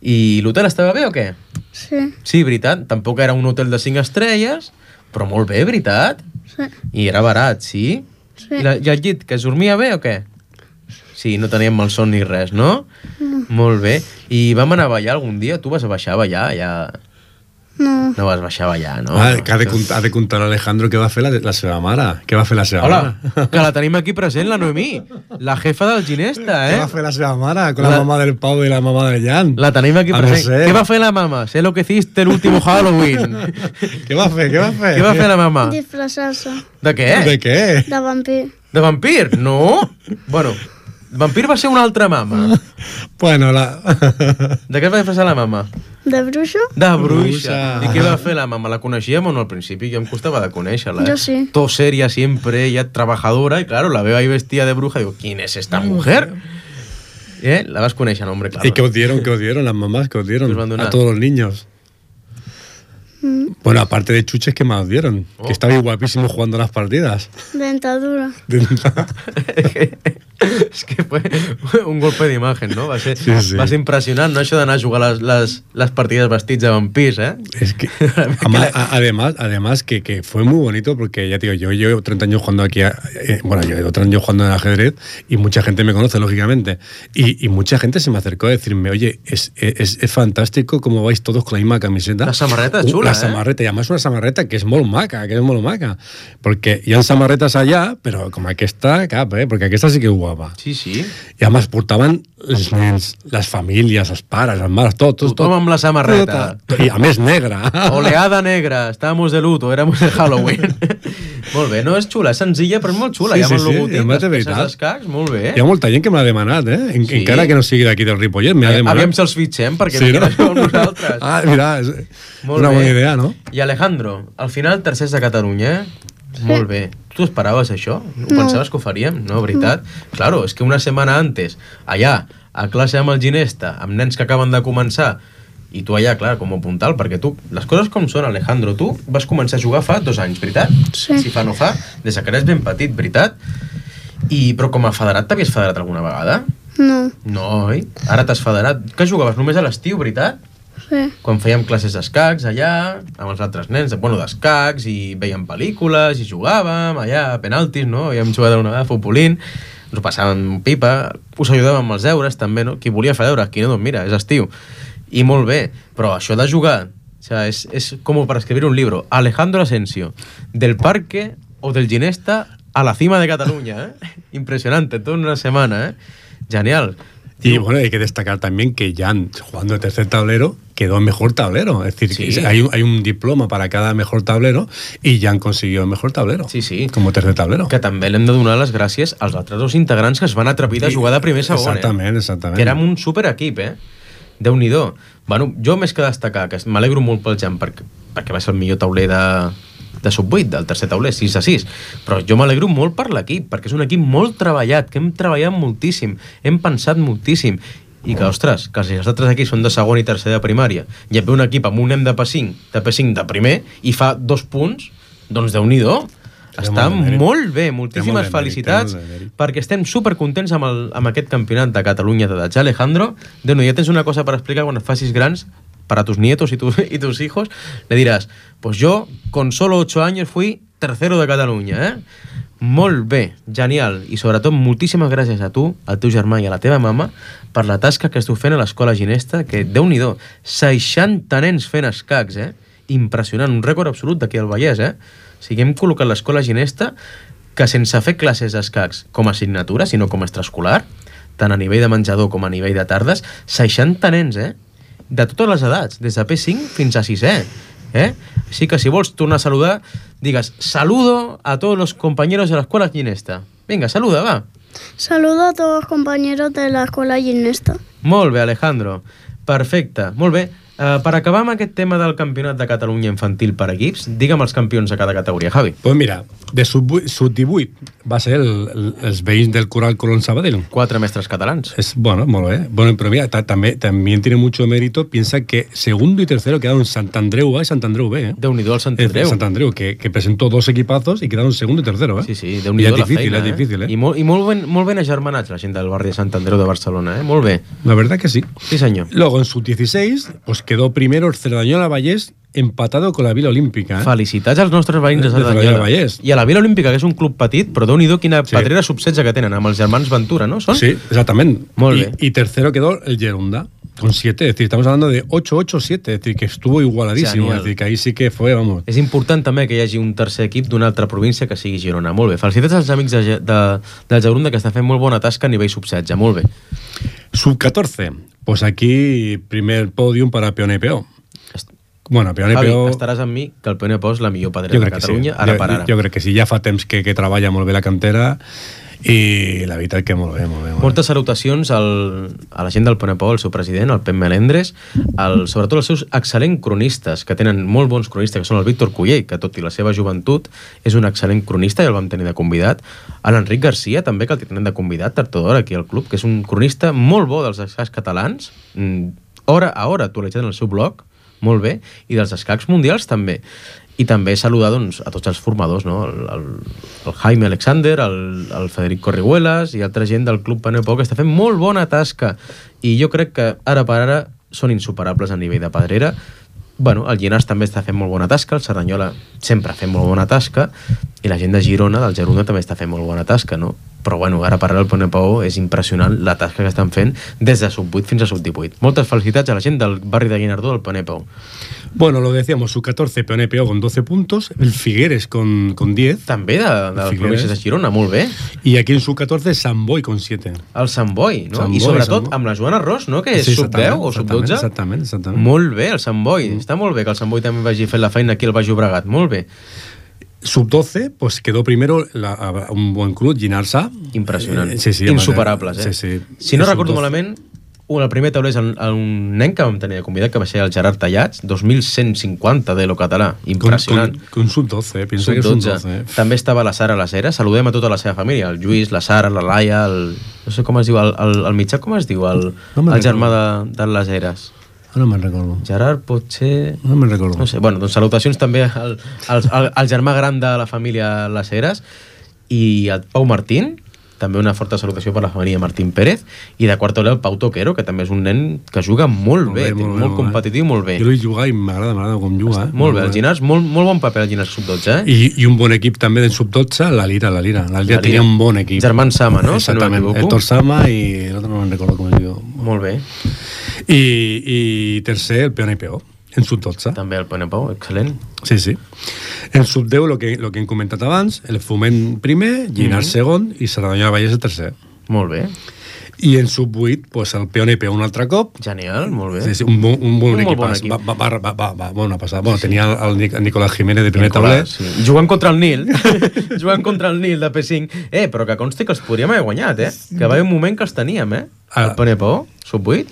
I l'hotel estava bé o què? sí, Sí, veritat. Tampoc era un hotel de cinc estrelles, però molt bé, veritat. sí. I era barat, sí? Sí. I, la, I el llit, que es dormia bé o què? Sí, no teníem malson ni res, no? No. Molt bé. I vam anar a ballar algun dia? Tu vas a baixar a ballar allà... No. No vas baixar a ballar, no? Ah, que ha de, contar, ha de contar Alejandro què va fer la, la seva mare. Què va fer la seva Hola, mare? que la tenim aquí present, la Noemí, la jefa del Ginesta, Què eh? va fer la seva mare con la, La- mamá del Pau i la mamá del Jan? La tenim aquí Ah, no present. sé. Què va fer la mama? Sé lo que hiciste el último Halloween. Què va fer? Què va fer? Què va fer la mama? Disfressar-se De què? De què? de vampir. De vampir? No. Bueno, vampir va ser una altra mama. Bueno, la... De què es va disfressar la mama? De bruixo? De bruixa. Bruixa. I què va fer la mama? La coneixíem o no al principi? Jo em costava de conèixer-la. Jo eh? sí. Todo seria siempre, ella trabajadora, y claro, la veo ahí vestida de bruja, digo, ¿quién es esta mujer? ¿Eh? La vas conèixer, no, hombre, claro. ¿Y qué os dieron? ¿Qué os dieron? Las mamás que os dieron Os van a donar. a todos los niños. Bueno, aparte de chuches, ¿qué más os dieron? Oh. Que estabais guapísimos jugando las partidas. Dentadura. És que fue un golpe d'imatge, no? Va ser, Sí, sí. va ser impressionant, no? Això d'anar a jugar les, les, les partides vestits de vampirs, eh? Es que, ama- a- además, además que, que fue muy bonito porque ya te digo, yo llevo treinta años jugando aquí, a- eh, bueno, yo llevo treinta años jugando en ajedrez y mucha gente me conoce, lógicamente. Y, y mucha gente se me acercó a decirme, oye, es, es, es fantástico cómo vais todos con la misma camiseta. La samarreta es Uh, chula, La eh? samarreta, y además una samarreta que es molt maca, que es molt maca. Porque hi ha samarretes allà, però com aquesta, cap, eh? Perquè aquesta sí que és guapa. Sí, sí. I a més portaven els nens, les famílies, els pares, les mares, tot, tot, Tothom amb la samarreta. tot. I a més negra. Oleada negra, estábamos de luto, éramos de Halloween. Molt bé, no és xula, és senzilla, però és molt xula. Sí, Ja amb el sí, sí, logotip, i a més de les peces veritat. d'escacs, molt bé. Hi ha molta gent que m'ha demanat, eh? En, Sí. Encara que no sigui d'aquí del Ripollet, m'ha demanat. Aviam si els fitxem, perquè Sí, vinguin no? a jugar amb nosaltres. Ah, mira, és Molt una bé. bona idea, no? I Alejandro, al final tercers de Catalunya, eh? Molt bé. Tu esperaves això? No. Pensaves que ho faríem? No, veritat? Claro, és que una setmana antes, allà, a classe amb el Ginesta, amb nens que acaben de començar, i tu allà, clar, com a puntal, perquè tu, les coses com són, Alejandro, tu vas començar a jugar fa dos anys, veritat? Sí. Si fa no fa, des que eres ben petit, veritat? I, però com a federat, t'havies federat alguna vegada? No. No, oi? Ara t'has federat. Que jugaves només a l'estiu, veritat? Sí. Quan fèiem classes d'escacs allà, amb els altres nens, bueno, d'escacs, i veiem pel·lícules, i jugàvem allà, a penaltis, no? Havíem jugat una vegada a futbolín, ens ho passàvem pipa, us ajudàvem amb els deures, també, no? Qui volia fer deures, qui no, doncs mira, és estiu. I molt bé, però això de jugar, o sea, és, és com per escriure un llibre. Alejandro Asensio, del Parque o del Ginesta a la cima de Cataluña, ¿eh? Impresionante, toda una semana, ¿eh? Genial. Y bueno, hay que destacar también que Jan, jugando de tercer tablero, quedó en mejor tablero. Es decir, Sí. que hay, un, hay un diploma para cada mejor tablero y Jan consiguió el mejor tablero. Sí, sí. Como tercer tablero. Que també l'hem de donar les gràcies als altres dos integrants que es van atrevir de jugar de primer segon, Exactament, eh? exactament. Que érem un superequip, eh? Déu-n'hi-do. Bueno, jo més que destacar, que m'alegro molt pel Jan, perquè, perquè va ser el millor tauler de, de sub vuit, del tercer tauler, sis a sis. Però jo m'alegro molt per l'equip, perquè és un equip molt treballat, que hem treballat moltíssim, hem pensat moltíssim, i que, ostres, que si els altres equips són de segon i tercer de primària, i et ve un equip amb un nen de P cinc, de P cinc de primer, i fa dos punts, doncs Déu-n'hi-do. Està molt de mèrit. molt bé, Té moltíssimes molt de mèrit, felicitats, té molt de mèrit. perquè estem supercontents amb, el, amb aquest campionat de Catalunya de Datxa. Alejandro, Déu-n'hi-do, ja tens una cosa per explicar quan et facis grans, para tus nietos y, tu, y tus hijos, le dirás, pues yo con solo ocho años fui tercero de Catalunya, eh? Molt bé, genial, i sobretot moltíssimes gràcies a tu, al teu germà i a la teva mama per la tasca que esteu fent a l'escola Ginesta, que Déu-n'hi-do, seixanta nens fent escacs, eh? Impressionant, un rècord absolut d'aquí al Vallès, eh? O sigui, hem col·locat l'escola Ginesta que sense fer classes d'escacs com a assignatura, sinó com a extraescolar, tant a nivell de menjador com a nivell de tardes, seixanta nens, eh? De totes les edats, des de P cinc fins a sisè. Eh? Així que si vols tornar a saludar, digues saludo a todos los compañeros de la escuela Ginesta. Vinga, saluda, va. Saludo a todos los compañeros de la escuela Ginesta. Molt bé, Alejandro. Perfecte, molt bé. Uh, per acabar amb aquest tema del campionat de Catalunya infantil per equips, digue'm els campions de cada categoria, Javi. Pues mira, de sub, sub divuit va ser el, el, els veïns del Coral Colón Sabadell. Quatre mestres catalans. Es, bueno, molt bé. Bueno, pero mira, ta, también, también tiene mucho mérito. Piensa que segundo y tercero quedaron Sant Andreu A y Sant Andreu B, ¿eh? Déu-n'hi-do el Sant Es Andreu. Sant Andreu, que, que presentó dos equipazos y quedaron segundo y tercero, ¿eh? Sí, sí, I Déu-n'hi-do és la difícil, feina, és difícil, eh? I, molt, i molt, ben, molt ben agermanats la gent del barri de Sant Andreu de Barcelona, eh? Molt bé. La verdad que sí. Sí, senyor. Luego, en sub dieciséis, pues quedó primero el Cerdanyola Vallès empatado con la Vila Olímpica, ¿eh? Felicitats als nostres veïns de De Cerdanyola Cerdanyola. Vallès. I a la Vila Olímpica, que és un club petit, però Déu-n'hi-do quina Sí. patrera sub setze que tenen, amb els germans Ventura, no? Són? Sí, exactament. Molt I, bé. I tercero quedó el Gerunda. Con siete, es decir, estamos hablando de ocho ocho siete, es decir, que estuvo igualadísimo, Genial. es decir, que ahí sí que fue, vamos. És important també que hi hagi un tercer equip d'una altra província que sigui Girona. Molt bé. Felicitats als amics de, de, del Jaurunda, que estan fent molt bona tasca a nivell sub setze. Molt bé. Sub catorce, pues aquí primer podium para Peone P O. Bueno, Peone Javi, P O... estaràs amb mi que el Peone P O és la millor Jo pedrera de crec que sí. Catalunya, ara jo, per ara. Jo crec que sí, ja fa temps que, que treballa molt bé la cantera i la veritat que molt bé, molt bé. Molt Moltes salutacions al, a la gent del Peone P O, al seu president, el Pep Melendres, al, sobretot els seus excel·lents cronistes, que tenen molt bons cronistes, que són el Víctor Cullell, que tot i la seva joventut és un excel·lent cronista i el vam tenir de convidat, a l'Enric Garcia també, que el tenen de convidat, tard o d'hora aquí al club, que és un cronista molt bo dels escacs catalans, hora a hora actualitzat en el seu blog, molt bé, i dels escacs mundials també. I també saludar doncs, a tots els formadors, no? el, el, el Jaime Alexander, el, el Federic Corrihuelas i altra gent del Club Peone P O que està fent molt bona tasca. I jo crec que ara per ara són insuperables a nivell de pedrera. Bueno, el Llinars també està fent molt bona tasca, el Cerdanyola sempre ha fet molt bona tasca i la gent de Girona, del Gerona, també està fent molt bona tasca, no? Però bueno, ara per ara el Peone P O és impressionant la tasca que estan fent des de sub vuit fins a sub divuit. Moltes felicitats a la gent del barri de Guinardó del Peone P O. Bueno, lo que decíamos, sub catorce, Peone P O con doce puntos, el Figueres con, con diez. També de, de les províncies de Girona, molt bé. Y aquí en sub catorce, Sant Boi con siete. El Sant Boi, no? Sant I Boi, sobretot Sant Boi. amb la Joana Ros, no? Que és Sí, sub deu o sub dotze. Exactament, exactament. Molt bé, el Sant Boi. Mm. Està molt bé que el Sant Boi també vagi fent la feina aquí al Baix Llobregat. Molt bé. Sub doce, pues quedó primero la, un buen club, Llinars A. Impressionant. Eh, sí, sí, insuperables, eh? Sí, sí. Si no Sub recordo doce. malament, un, el primer tauler és el, el, un nen que vam tenir de convidat, que va ser el Gerard Tallats, dos mil cent cinquanta de lo català. Impressionant. Con, con, con sub doce, pienso que sub es sub dotze. doce. També estava la Sara Lasera. Saludem a tota la seva família, el Lluís, la Sara, la Laia, el, no sé com es diu, el, el, el mitjà com es diu, el, No me'n el germà de, recordo. de les Eres. No me'n recordo. Gerard, potser... No me'n recordo. No sé, bueno, doncs salutacions també al, al, al, al germà gran de la família Les Heres i al Pau Martín, també una forta salutació per la família Martín Pérez, i de quart el Pau Toquero, que també és un nen que juga molt, molt bé, bé, molt, molt, molt competitiu, molt bé. Jo l'he jugat i m'agrada, m'agrada com juga. Eh? Molt bé, el Llinars, molt, molt bon paper el Llinars sub dotze, eh? I, I un bon equip també del sub dotze, la Lira, la Lira. La Lira La tenia Lira. un bon equip. Germán Sama, no? Exactament, Si no m'equivoco. Héctor Sama i l'altre no me'n recordo com es diu. Molt bé. I, i tercer, el Peone P O, en sub dotze. També el Peone P O, excel·lent. Sí, sí. En sub deu, el que, lo que hem comentat abans, el Foment primer, Llinars Mhm. segon i Cerdanyola Vallès el tercer. Molt bé. I en sub vuit, pues, el Peone P O un altre cop. Genial, molt bé. Sí, sí, un bon, un bon Un molt bon equip. equip. Va, va, va, va, va, va, bona passada. Bueno, tenia el, Nic- el Nicolás Jiménez de primer Nicolás, tauler. sí. Jugant contra el Nil. Jugant contra el Nil de P cinc. Eh, però que consti que els podríem haver guanyat, eh? Que va haver un moment que els teníem, eh? Ah. El Peone P O, sub vuit.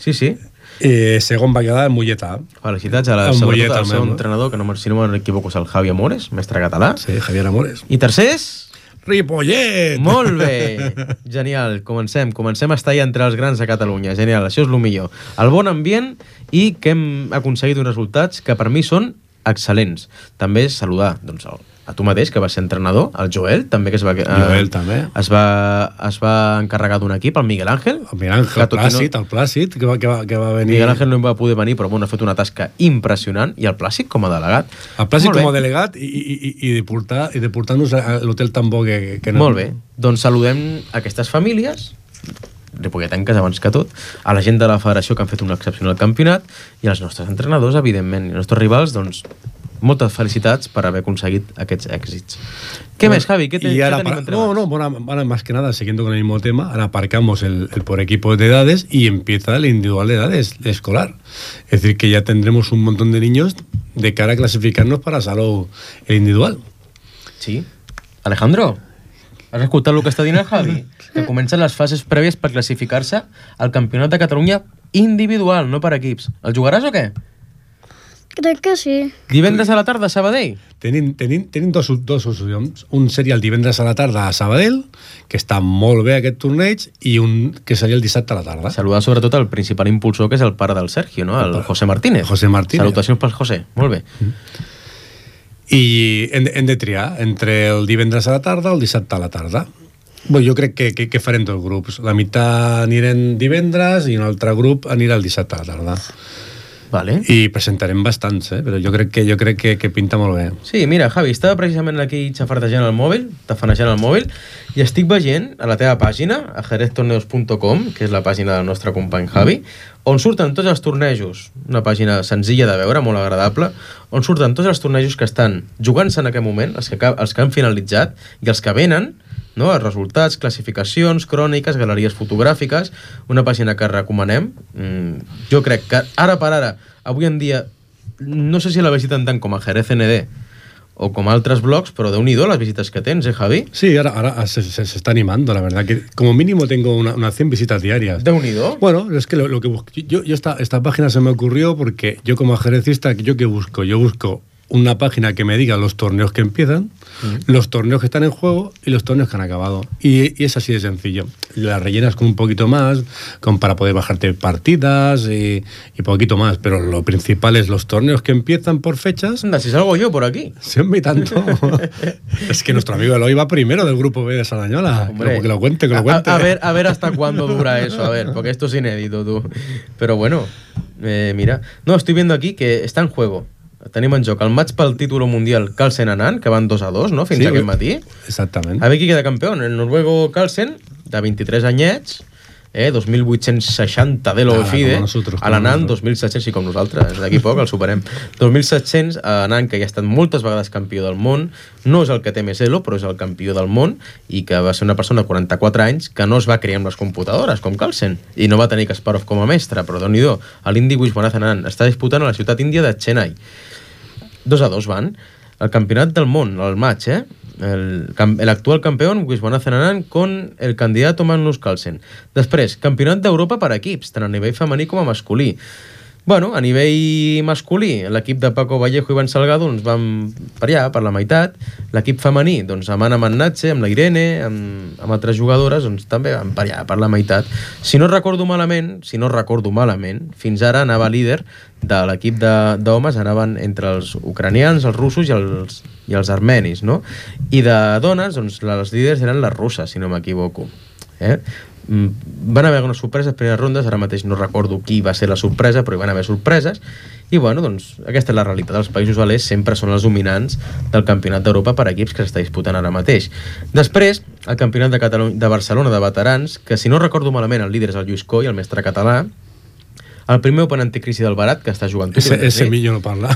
Sí, sí. Eh, segon va quedar el Molletà. Felicitats a la, El sobretot Mollet, al seu almenys. entrenador, que no, me- si no m'equivoco és el Javi Amores, mestre català. Sí, Javier Amores. I tercers... Ripollet! Molt bé! Genial, comencem. Comencem a estar ja entre els grans de Catalunya. Genial, això és el millor. El bon ambient i que hem aconseguit uns resultats que per mi són excel·lents. També saludar doncs, el, a tu mateix, que vas ser entrenador, el Joel, també que es va, eh, Joel, també. Es va, es va encarregar d'un equip, el Miguel Àngel. El Miguel Ángel, que tot i Plàcid, el Plàcid, que va, que va, que va venir... Miguel Ángel no hi va poder venir, però bueno, ha fet una tasca impressionant, i el Plàcid com a delegat. El Plàcid Molt com a bé. delegat i, i, i, i de portar, i de portar-nos a l'hotel tan bo que, que Molt bé, doncs saludem aquestes famílies ripolletenques abans que tot, a la gent de la federació que han fet un excepcional campionat i als nostres entrenadors, evidentment, i als nostres rivals, doncs moltes felicitats per haber aconseguit aquests èxits. ¿Qué más, Javi? ¿Qué, te, Y ¿qué ahora, tenim para- entre no, mans? no, bueno, ahora más que nada, siguiendo con el mismo tema, ahora aparcamos el, el por equipos de edades y empieza el individual de edades escolar. Es decir, que ya tendremos un montón de niños de cara a clasificarnos para Salou el individual. Sí. Alejandro, has escoltat el que està dient el Javi? Que comencen les fases prèvies per classificar-se al Campionat de Catalunya individual, no per equips. El jugaràs o què? Crec que sí. Divendres a la tarda a Sabadell? Tenim, tenim, tenim dos, dos opcions. Un seria el divendres a la tarda a Sabadell, que està molt bé aquest torneig, i un que seria el dissabte a la tarda. Saludar sobretot el principal impulsor, que és el pare del Sergio, no? El José Martínez. José Martínez. Salutacions pel José. Molt bé. I hem, de- hem de triar entre el divendres a la tarda o el dissabte a la tarda. Bé, jo crec que, que, que farem dos grups. La meitat anirem divendres i un altre grup anirà el dissabte a la tarda. Vale. I presentarem bastants, eh? Però jo crec que jo crec que, que pinta molt bé. Sí, mira, Javi, estava precisament aquí xafardejant el mòbil, tafanejant el mòbil, i estic veient a la teva pàgina, a jerez torneos punt com, que és la pàgina del nostre company Javi, on surten tots els tornejos, una pàgina senzilla de veure, molt agradable, on surten tots els tornejos que estan jugant-se en aquest moment, els que, els que han finalitzat i els que venen, no? Els resultats, classificacions, cròniques, galeries fotogràfiques, una pàgina que recomanem. Mm, jo crec que ara per ara, avui en dia, no sé si la visiten tant com a Jerez N D o com altres blogs, pero de unido las visitas que tens, ¿eh, Javi? Sí, ahora, ahora se, se, se está animando, la verdad, que como mínimo tengo una, unas cien visitas diarias. ¿De unido? Bueno, es que lo, lo que busco, yo, yo esta, esta página se me ocurrió porque yo como ajedrecista, ¿yo qué busco? Yo busco una página que me diga los torneos que empiezan, mm. los torneos que están en juego y los torneos que han acabado. Y, y es así de sencillo. Las rellenas con un poquito más, con, para poder bajarte partidas y, y poquito más. Pero lo principal es los torneos que empiezan por fechas. Anda, si salgo yo por aquí. Siempre y tanto. Es que nuestro amigo Eloy va primero del grupo B de Sardañola. Hombre, que, lo, que lo cuente, que lo cuente. A, a, ver, a ver hasta cuándo dura eso, a ver, porque esto es inédito, tú. Pero bueno, eh, mira. No, estoy viendo aquí que está en juego. Tenim en joc el maig pel títol mundial Carlsen-Anand, que van dos a dos, no?, fins sí, aquest matí. Exactament. A veure qui queda campió. El noruego Carlsen, de vint-i-tres anyets, eh, dos mil vuit-cents seixanta de l'Ofide, a l'Anand, dos mil set-cents, sí, com nosaltres, d'aquí poc el superem. dos mil set-cents, a Anand, que ja ha estat moltes vegades campió del món, no és el que té més elo, però és el campió del món, i que va ser una persona de quaranta-quatre anys que no es va criar amb les computadores, com Carlsen, i no va tenir Kasparov com a mestre, però déu-n'hi-do, l'indi Viswanathan Anand està disputant a la ciutat índia de Chennai. Dos a dos van. El campionat del món, el maig, eh? El, el actual campeón, Viswanathan Anand, con el candidato Magnus Carlsen. Després, campionat d'Europa per equips, tant a nivell femení com a masculí. Bueno, a nivell masculí, l'equip de Paco Vallejo i Iván Salgado doncs van per allà, per la meitat. L'equip femení, doncs amb Anna Mannatxe, amb la Irene, amb, amb altres jugadores, doncs també van per allà, per la meitat. Si no recordo malament, si no recordo malament, fins ara anava líder de l'equip d'homes, anaven entre els ucranians, els russos i els, i els armenis, no? I de dones, doncs les líders eren les russes, si no m'equivoco. Eh? Van haver unes sorpreses, primeres rondes, ara mateix no recordo qui va ser la sorpresa, però hi van haver sorpreses, i bueno, doncs aquesta és la realitat. Els països a l'est sempre són els dominants del campionat d'Europa per equips que s'està disputant ara mateix. Després, el campionat de, Catalunya, de Barcelona de veterans, que si no recordo malament el líder és el Lluís Coll, el mestre català. El primer Open anticrisi del Barat, que està jugant... Ese, ese millo no parla.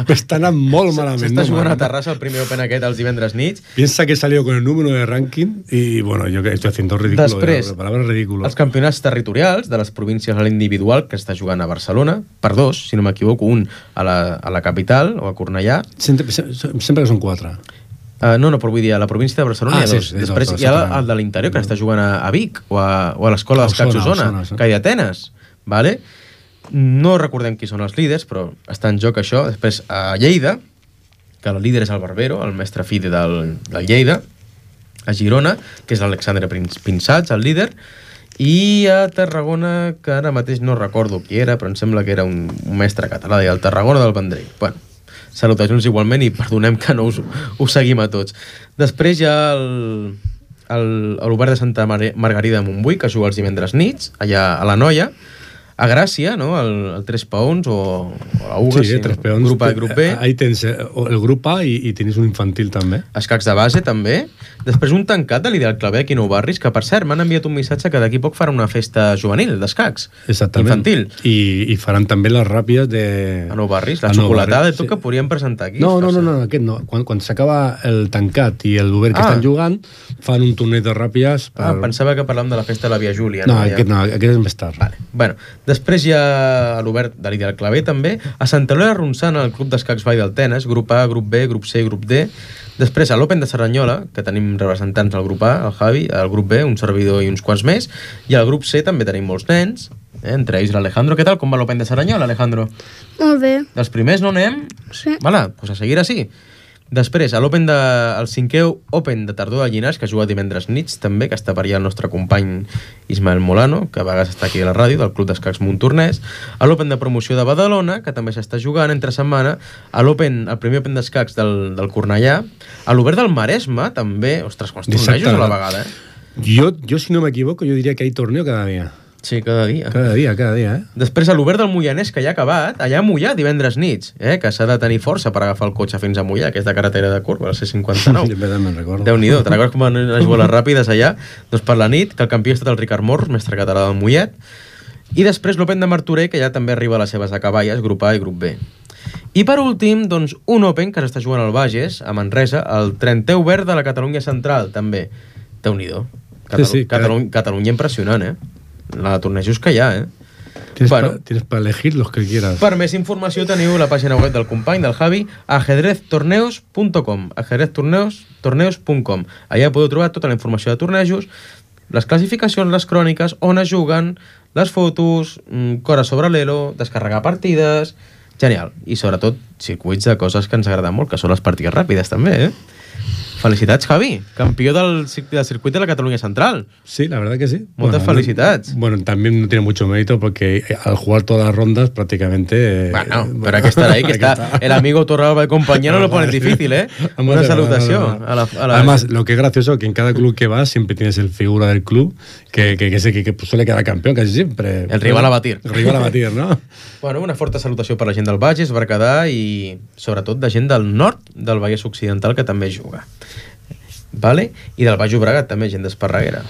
Està anant molt malament. S'està no, jugant a Terrassa el primer Open aquest els divendres nits. Piensa que salió con el número de ranking y bueno, yo que estoy haciendo ridículo. Després, la palabra ridículo. Els campionats territorials de les províncies a l'individual, que està jugant a Barcelona, per dos, si no m'equivoco, un a la, a la capital, o a Cornellà. Sempre, sempre que són quatre. Uh, no, no, però vull dir, a la província de Barcelona ah, hi ha dos. Sí, sí, Després dos, hi ha el de l'interior, que està jugant a, a Vic, o a, o a l'escola d'escacs Osona, que hi ha Atenes, vale? No recordem qui són els líders, però està en joc això. Després a Lleida, que el líder és el Barbero, el mestre fide del, del Lleida. A Girona, que és l'Alexandre Pinsats, el líder. I a Tarragona, que ara mateix no recordo qui era, però em sembla que era un, un mestre català, el Tarragona del Vendrell. Bueno, salutacions igualment i perdonem que no us, us seguim a tots. Després hi ha l'Obert de Santa Mar Margarida de Montbui, que juga els divendres nits, allà a la Noia. A Gràcia, ¿no? El, el tres peons o, o la Uga, sí, sí, tres peons. Grup A i grup B. Ahí tens el grup A i, i tens un infantil també. Escacs de base també. Després un tancat de l'Ideal Clavé aquí a Nou Barris, que per cert m'han enviat un missatge que d'aquí poc faran una festa juvenil d'escacs. Exactament. Infantil. I, i faran també les ràpides de... A Nou Barris, la xocolatada i tot, sí, que podríem presentar aquí. No, no, no, no, aquest no. Quan, quan s'acaba el tancat i el Obert que ah. estan jugant, fan un torneig de ràpides. Per... Ah, pensava que parlàvem de la festa de la Via Júlia. No, no aquest no, aquest és més tard. Vale. Bueno, després hi ha a l'Obert de l'Ideal Clavé també, a Santa Eulàlia Ronçana, el Club d'Escacs Vall del Tenes, grup A, grup B, grup C i grup D. Després a l'Open de Cerdanyola, que tenim representants al grup A, el Javi, al grup B, un servidor i uns quants més, i al grup C també tenim molts nens, eh? Entre ells l'Alejandro. Què tal? Com va l'Open de Cerdanyola, Alejandro? Molt bé. Dels primers no anem? Sí. Vale, doncs a seguir així. Després, a l'Open de, el cinquè Open de Tardor de Llinars, que juga divendres nits també, que està per allà el nostre company Ismael Molano, que a vegades està aquí a la ràdio, del Club d'Escacs Montornès. A l'Open de Promoció de Badalona, que també s'està jugant entre setmana. A l'Open, el primer Open d'Escacs del, del Cornellà. A l'Obert del Maresme, també. Ostres, quants tornejos a la vegada, eh? Yo, yo, si no me equivoco, yo diría que hay torneo cada día. Sí, cada dia. Cada dia, cada dia, eh? Després, a l'Obert del Moianès, que ja ha acabat, allà a Moià, divendres nits, eh? que s'ha de tenir força per agafar el cotxe fins a Moià, que és de carretera de curva, la C cinquanta-nou. Jo me'n recordo. Déu-n'hi-do, te'n recordes com van anar a jugar les ràpides allà? Doncs per la nit, que el campió ha estat el Ricard Morros, mestre català del Mollet, i després l'Open de Martorell, que ja també arriba a les seves acaballes, grup A i grup B. I per últim, doncs, un Open que s'està jugant al Bages, a Manresa, el trentè Obert de la Catalunya Central, també. Déu-n'hi-do. Catalu Sí, sí, Catalu Catalunya impressionant, eh? La de tornejos que hi ha, eh? Tienes Bueno. para tienes pa elegir los que quieras. Per més informació teniu la pàgina web del company, del Javi, ajedrez torneos punt com, ajedrez torneos punt com. Allà podeu trobar tota la informació de tornejos, les classificacions, les cròniques, on es juguen, les fotos, cores sobre l'Elo, descarregar partides... Genial. I sobretot circuits de coses que ens agraden molt, que són les partides ràpides també, eh? Felicitats, Javi, campió del, del circuit de la Cataluña Central. Sí, la verdad que sí. Muchas bueno, felicidades. No, bueno, también no tiene mucho mérito porque al jugar todas las rondas prácticamente... Bueno, eh, pero hay que estar ahí, que está, está el amigo Torralba de compañía no lo pone difícil, ¿eh? Una salutación a la, a la... Además, lo que es gracioso que en cada club que vas siempre tienes el figura del club que, que, que, que, que suele quedar campeón casi siempre. El rival a batir. El rival a batir, ¿no? Bueno, una forta salutació per la gent del Bages, Berguedà i sobretot de gent del nord del Vallès Occidental que també juga. ¿Vale? Y del Baix Llobregat también, gente de Esparraguera.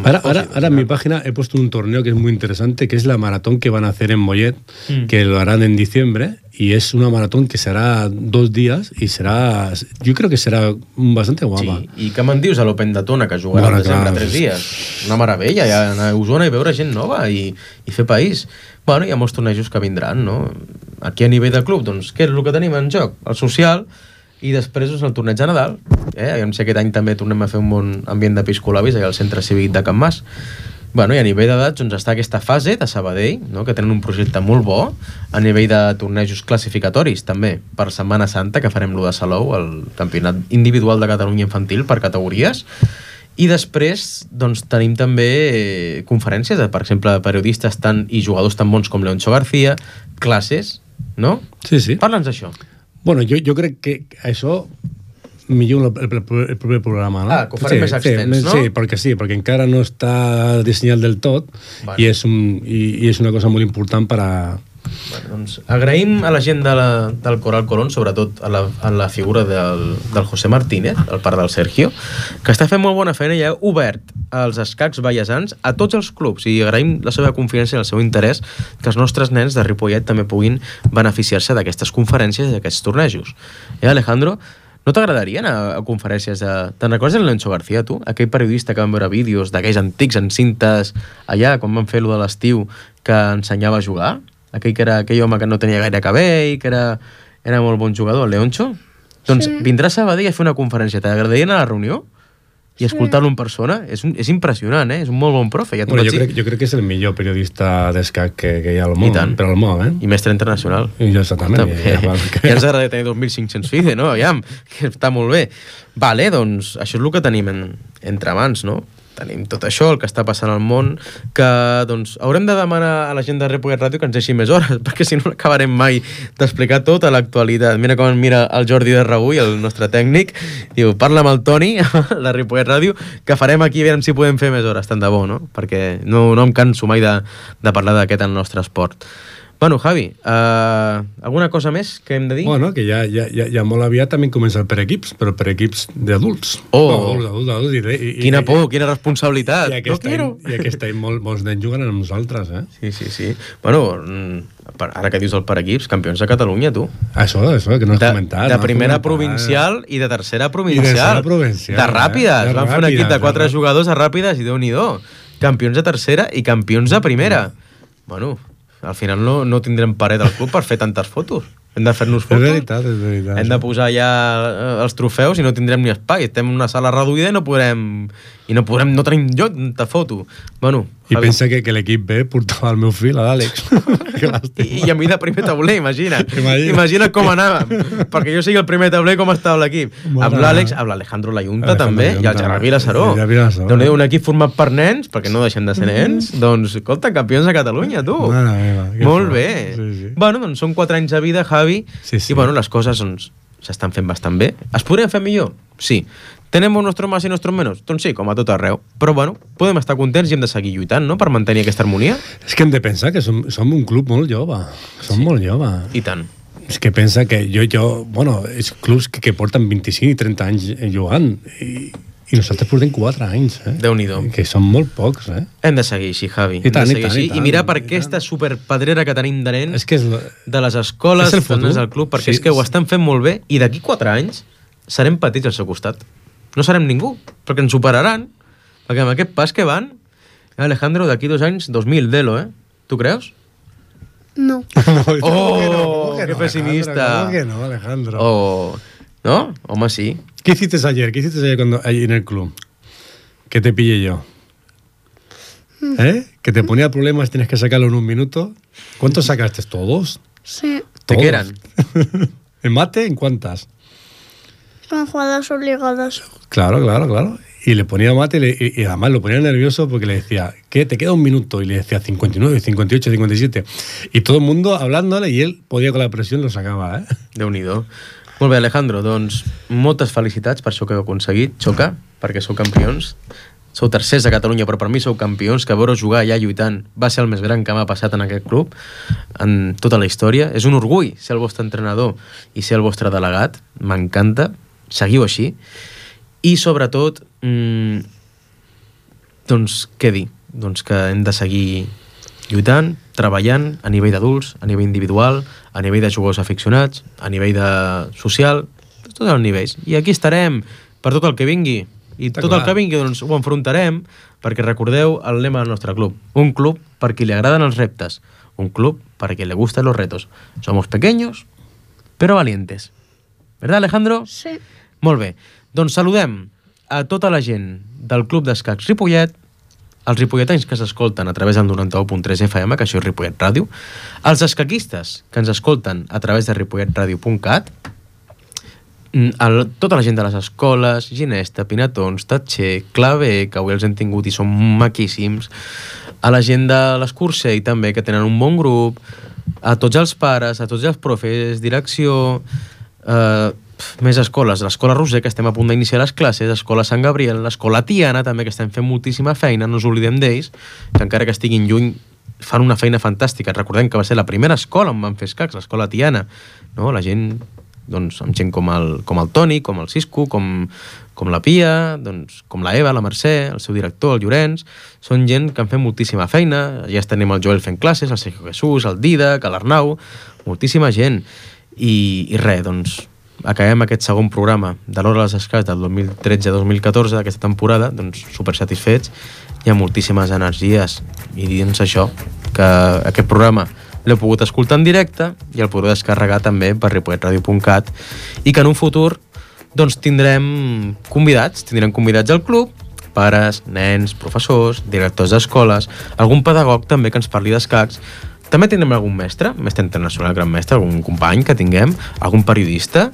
Ahora, ahora, ahora en mi página he puesto un torneo que es muy interesante, que es la maratón que van a hacer en Mollet, mm. que lo harán en diciembre, y es una maratón que será dos días y serà... Yo creo que serà bastante guapa. Sí, i què me'n dius a l'Open de Tona, que jugarà bueno, al desembre clar, tres dies? Una meravella, ja anar a Osona i veure gent nova i, i fer país. Bueno, hi ha molts tornejos que vindran, no? Aquí a nivell de club, doncs, què és el que tenim en joc? El social... I després doncs, el torneig de Nadal. Eh? Aviam si aquest any també tornem a fer un bon ambient d'episcolabis allà al centre cívic de Can Mas. Bueno, i a nivell d'edats doncs, està aquesta fase de Sabadell, no? Que tenen un projecte molt bo, a nivell de tornejos classificatoris també, per Setmana Santa, que farem l'u de Salou, el campionat individual de Catalunya infantil per categories. I després doncs, tenim també eh, conferències, de, per exemple, de periodistes tan, i jugadors tan bons com Leoncho García, classes, no? Sí, sí. Parla'ns d'això. Bueno, jo, jo crec que això millor el, el, el proper programa, ¿no? Ah, que ho farem sí, més extens, sí, no? Sí, perquè sí, perquè encara no està dissenyat del tot bueno. i, és un, i, i és una cosa molt important per a... Bueno, doncs, agraïm a la gent de la, del Coral Colón, sobretot a la, a la figura del, del José Martínez, el pare del Sergio, que està fent molt bona feina i ha obert els escacs vallesans a tots els clubs, i agraïm la seva confiança i el seu interès que els nostres nens de Ripollet també puguin beneficiar-se d'aquestes conferències i d'aquests tornejos. Eh, Alejandro, no t'agradaria anar a conferències de... Te'n recordes el Leoncho García, tu? Aquell periodista que van veure vídeos d'aquells antics en cintes allà, quan van fer lo de l'estiu, que ensenyava a jugar? Aquell que era aquell home que no tenia gaire cabell, que era, era molt bon jugador, el Leoncho? Doncs sí. Vindrà a Sabadell a fer una conferència. T'agradaria anar a la reunió? I escoltar-lo en persona? És, un, és impressionant, eh? És un molt bon profe. Ja bueno, jo, crec, jo crec que és el millor periodista d'escac que, que hi ha al món. I tant. Però al món, eh? I mestre internacional. I jo exactament. També. Ja, ja, ja, ja ens agradaria tenir dos mil cinc-cents FIDE, no? Aviam, que està molt bé. Vale, doncs això és el que tenim en, entre mans, no? Tenim tot això, el que està passant al món, que doncs haurem de demanar a la gent de Ripollet Ràdio que ens deixi més hores, perquè si no acabarem mai d'explicar tota l'actualitat. Mira com mira el Jordi de Ragull, el nostre tècnic, diu, parla amb el Toni, la Ripollet Ràdio, que farem aquí, a veure si podem fer més hores, tant de bo, no? Perquè no, no em canso mai de, de parlar d'aquest el nostre esport. Bueno, Javi, uh, alguna cosa més que hem de dir? Bueno, que ja, ja, ja, ja molt aviat també comença el per equips, però per equips d'adults. Oh! No, adults, adults, adults. I, i, quina por, i, quina responsabilitat. I aquest, no any, I aquest any molt, molts nens juguen amb nosaltres, eh? Sí, sí, sí. Bueno, ara que dius el per equips, campions de Catalunya, tu. Això, això, que no has de, comentat. De no primera comentat. provincial i de tercera provincial. I de tercera provincial. De ràpides. Eh? Van fer un equip de quatre jugadors a ràpides i Déu-n'hi-do. Campions de tercera i campions de primera. Bueno... Al final no, no tindrem paret al club per fer tantes fotos. Hem de fer-nos fotos. És veritat, és veritat. Hem de posar ja els trofeus i no tindrem ni espai. Estem en una sala reduïda i no podrem... I no podrem, no tenim lloc de foto. Bueno, I Javi. Pensa que, que l'equip B portava el meu fill, l'Àlex. I, I a mi de primer tauler, imagina. Imagina. Imagina com anàvem. Perquè jo sigui el primer tauler, com estava l'equip. Amb l'Àlex, amb l'Alejandro Layunta també, i el Gerard Vilassaró. Doncs un equip format per nens, perquè no deixem de ser nens, doncs, escolta, campions de Catalunya, tu. Mare meva, molt bé. Sí, sí. Bueno, doncs són quatre anys de vida, Javi, sí, sí. i bueno, les coses doncs, s'estan fent bastant bé. Es podrien fer millor? Sí. Tenemos nuestros más i nuestros menos? Doncs sí, com a tot arreu. Però, bueno, podem estar contents i hem de seguir lluitant, no?, per mantenir aquesta harmonia. És que hem de pensar que som, som un club molt jove. Som sí. molt jove. I tant. És que pensa que jo, jo bueno, és clubs que, que porten vint-i-cinc i trenta anys jugant i, i nosaltres portem quatre anys, eh? Déu-n'hi-do. Que són molt pocs, eh? Hem de seguir així, Javi. I tant, i, i tant, i tant. I mirar per aquesta superpedrera que tenim de nens, és que és, de les escoles, és dels nens del club, perquè sí, és que ho estan fent molt bé i d'aquí quatre anys serem petits al seu costat. No serem ningú, perquè ens superaran, perquè amb aquest pas que van, Alejandro, d'aquí dos anys, dos mil, Delo, eh? Tu creus? No. no ¡Oh! que no, ¡Qué pesimista! ¿Cómo que no, Alejandro? Oh, ¿no? Hombre, sí. ¿Qué hiciste ayer? ¿Qué hiciste ayer cuando, allí en el club? Que te pillé yo. ¿Eh? Que te ponía problemas, tienes que sacarlo en un minuto. ¿Cuántos sacaste? ¿Todos? Sí. ¿De qué eran? ¿En mate? ¿En cuántas? Son jugadas obligadas. Claro, claro, claro. Y le ponía mate y, le, y, y además lo ponía nervioso porque le decía, ¿qué? Te queda un minuto. Y le decía cincuenta y nueve, cincuenta y ocho, cincuenta y siete. Y todo el mundo hablándole y él podía con la presión lo sacaba, ¿eh? Déu-n'hi-do. Molt bé, Alejandro, doncs moltes felicitats per això que heu aconseguit, Xoca, perquè sou campions. Sou tercers a Catalunya, però per mi sou campions, que veure jugar allà lluitant va ser el més gran que m'ha passat en aquest club, en tota la història. És un orgull ser el vostre entrenador i ser el vostre delegat. M'encanta. Seguiu així. I, sobretot, mmm, doncs, què dir? Doncs que hem de seguir lluitant, treballant a nivell d'adults, a nivell individual, a nivell de jugadors aficionats, a nivell de social, tots els nivells. I aquí estarem per tot el que vingui. I Està tot clar. El que vingui doncs, ho enfrontarem, perquè recordeu el lema del nostre club. Un club per qui li agraden els reptes. Un club per qui le gustan los retos. Somos pequeños, pero valientes. ¿Verdad, Alejandro? Sí. Molt bé. Doncs saludem a tota la gent del Club d'Escacs Ripollet, els ripolletans que s'escolten a través del noranta-u punt tres F M, que això és Ripollet Ràdio, els escaquistes que ens escolten a través de ripollet radio punt cat, el, tota la gent de les escoles, Ginesta, Pinatons, Tatxer, Clavé, que avui els hem tingut i són maquíssims, a la gent de l'Escursell també, que tenen un bon grup, a tots els pares, a tots els profes, direcció, eh, més escoles, l'escola Roser, que estem a punt d'iniciar les classes, l'escola Sant Gabriel, l'escola Tiana, també, que estem fent moltíssima feina, no us oblidem d'ells, que encara que estiguin lluny, fan una feina fantàstica. Recordem que va ser la primera escola on van fer escacs, l'escola Tiana, no? La gent, doncs, amb gent com el, com el Toni, com el Cisco, com, com la Pia, doncs, com la Eva, la Mercè, el seu director, el Llorenç, són gent que han fet moltíssima feina. Ja tenim el Joel fent classes, el Sergio Jesús, el Didac, l'Arnau, moltíssima gent. I, i res, doncs, acabem aquest segon programa de l'Hora dels Escacs del dos mil tretze dos mil catorze d'aquesta temporada, doncs super satisfets, hi ha moltíssimes energies i dins això, que aquest programa l'heu pogut escoltar en directe i el podreu descarregar també per ripollet radio punt cat i que en un futur doncs tindrem convidats, tindrem convidats al club, pares, nens, professors, directors d'escoles, algun pedagog també que ens parli d'escacs. També tindrem algun mestre, mestre internacional, gran mestre, algun company que tinguem, algun periodista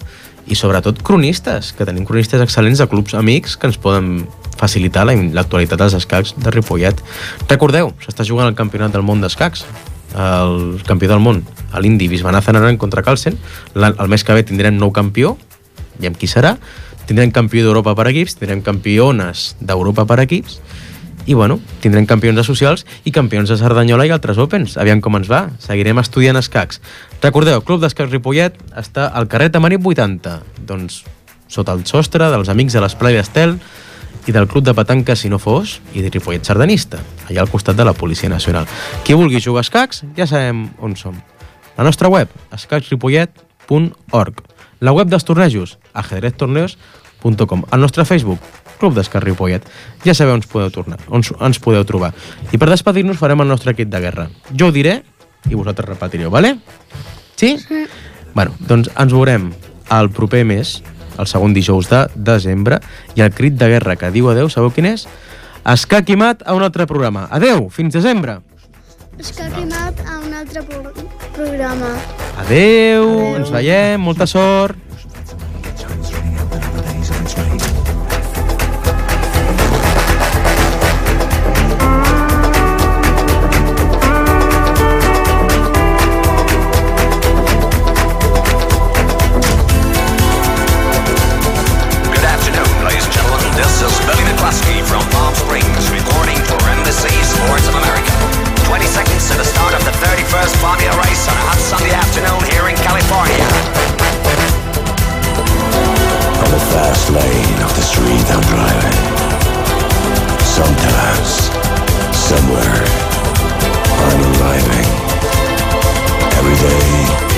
i sobretot cronistes, que tenim cronistes excel·lents de clubs amics que ens poden facilitar l'actualitat dels escacs de Ripollet. Recordeu, s'està jugant el campionat del món d'escacs, el campió del món, l'Indi Visvanathan Anand contra Carlsen. El mes que ve tindrem nou campió, i amb qui serà. Tindrem campió d'Europa per equips, tindrem campiones d'Europa per equips, i bueno, tindrem campions de socials i campions de Cerdanyola i altres Opens. Aviam com ens va. Seguirem estudiant escacs. Recordeu, Club d'Escacs Ripollet està al carrer Tamarit vuitanta, doncs sota el sostre dels amics de l'Esplai d'Estel i del Club de Petanca Si no fos i de Ripollet Sardanista, allà al costat de la Policia Nacional. Qui vulgui jugar a escacs, ja sabem on som. La nostra web, escacs ripollet punt org. La web dels tornejos, ajedrez torneos punt com. El nostre Facebook, Club d'Escacs Ripollet. Ja sabeu on ens podeu tornar, on ens podeu trobar. I per despedir-nos farem el nostre kit de guerra. Jo ho diré i vosaltres repetireu, vale? Sí? Sí. Bueno, doncs ens veurem el proper mes, el segon dijous de desembre, i el crit de guerra que diu adeu, sabeu quin és? Escac i mat a un altre programa. Adeu, fins desembre! Escac i mat a un altre pro programa. Adeu, adeu, ens veiem, molta sort! Good afternoon, ladies and gentlemen. somewhere, I'm arriving. Every day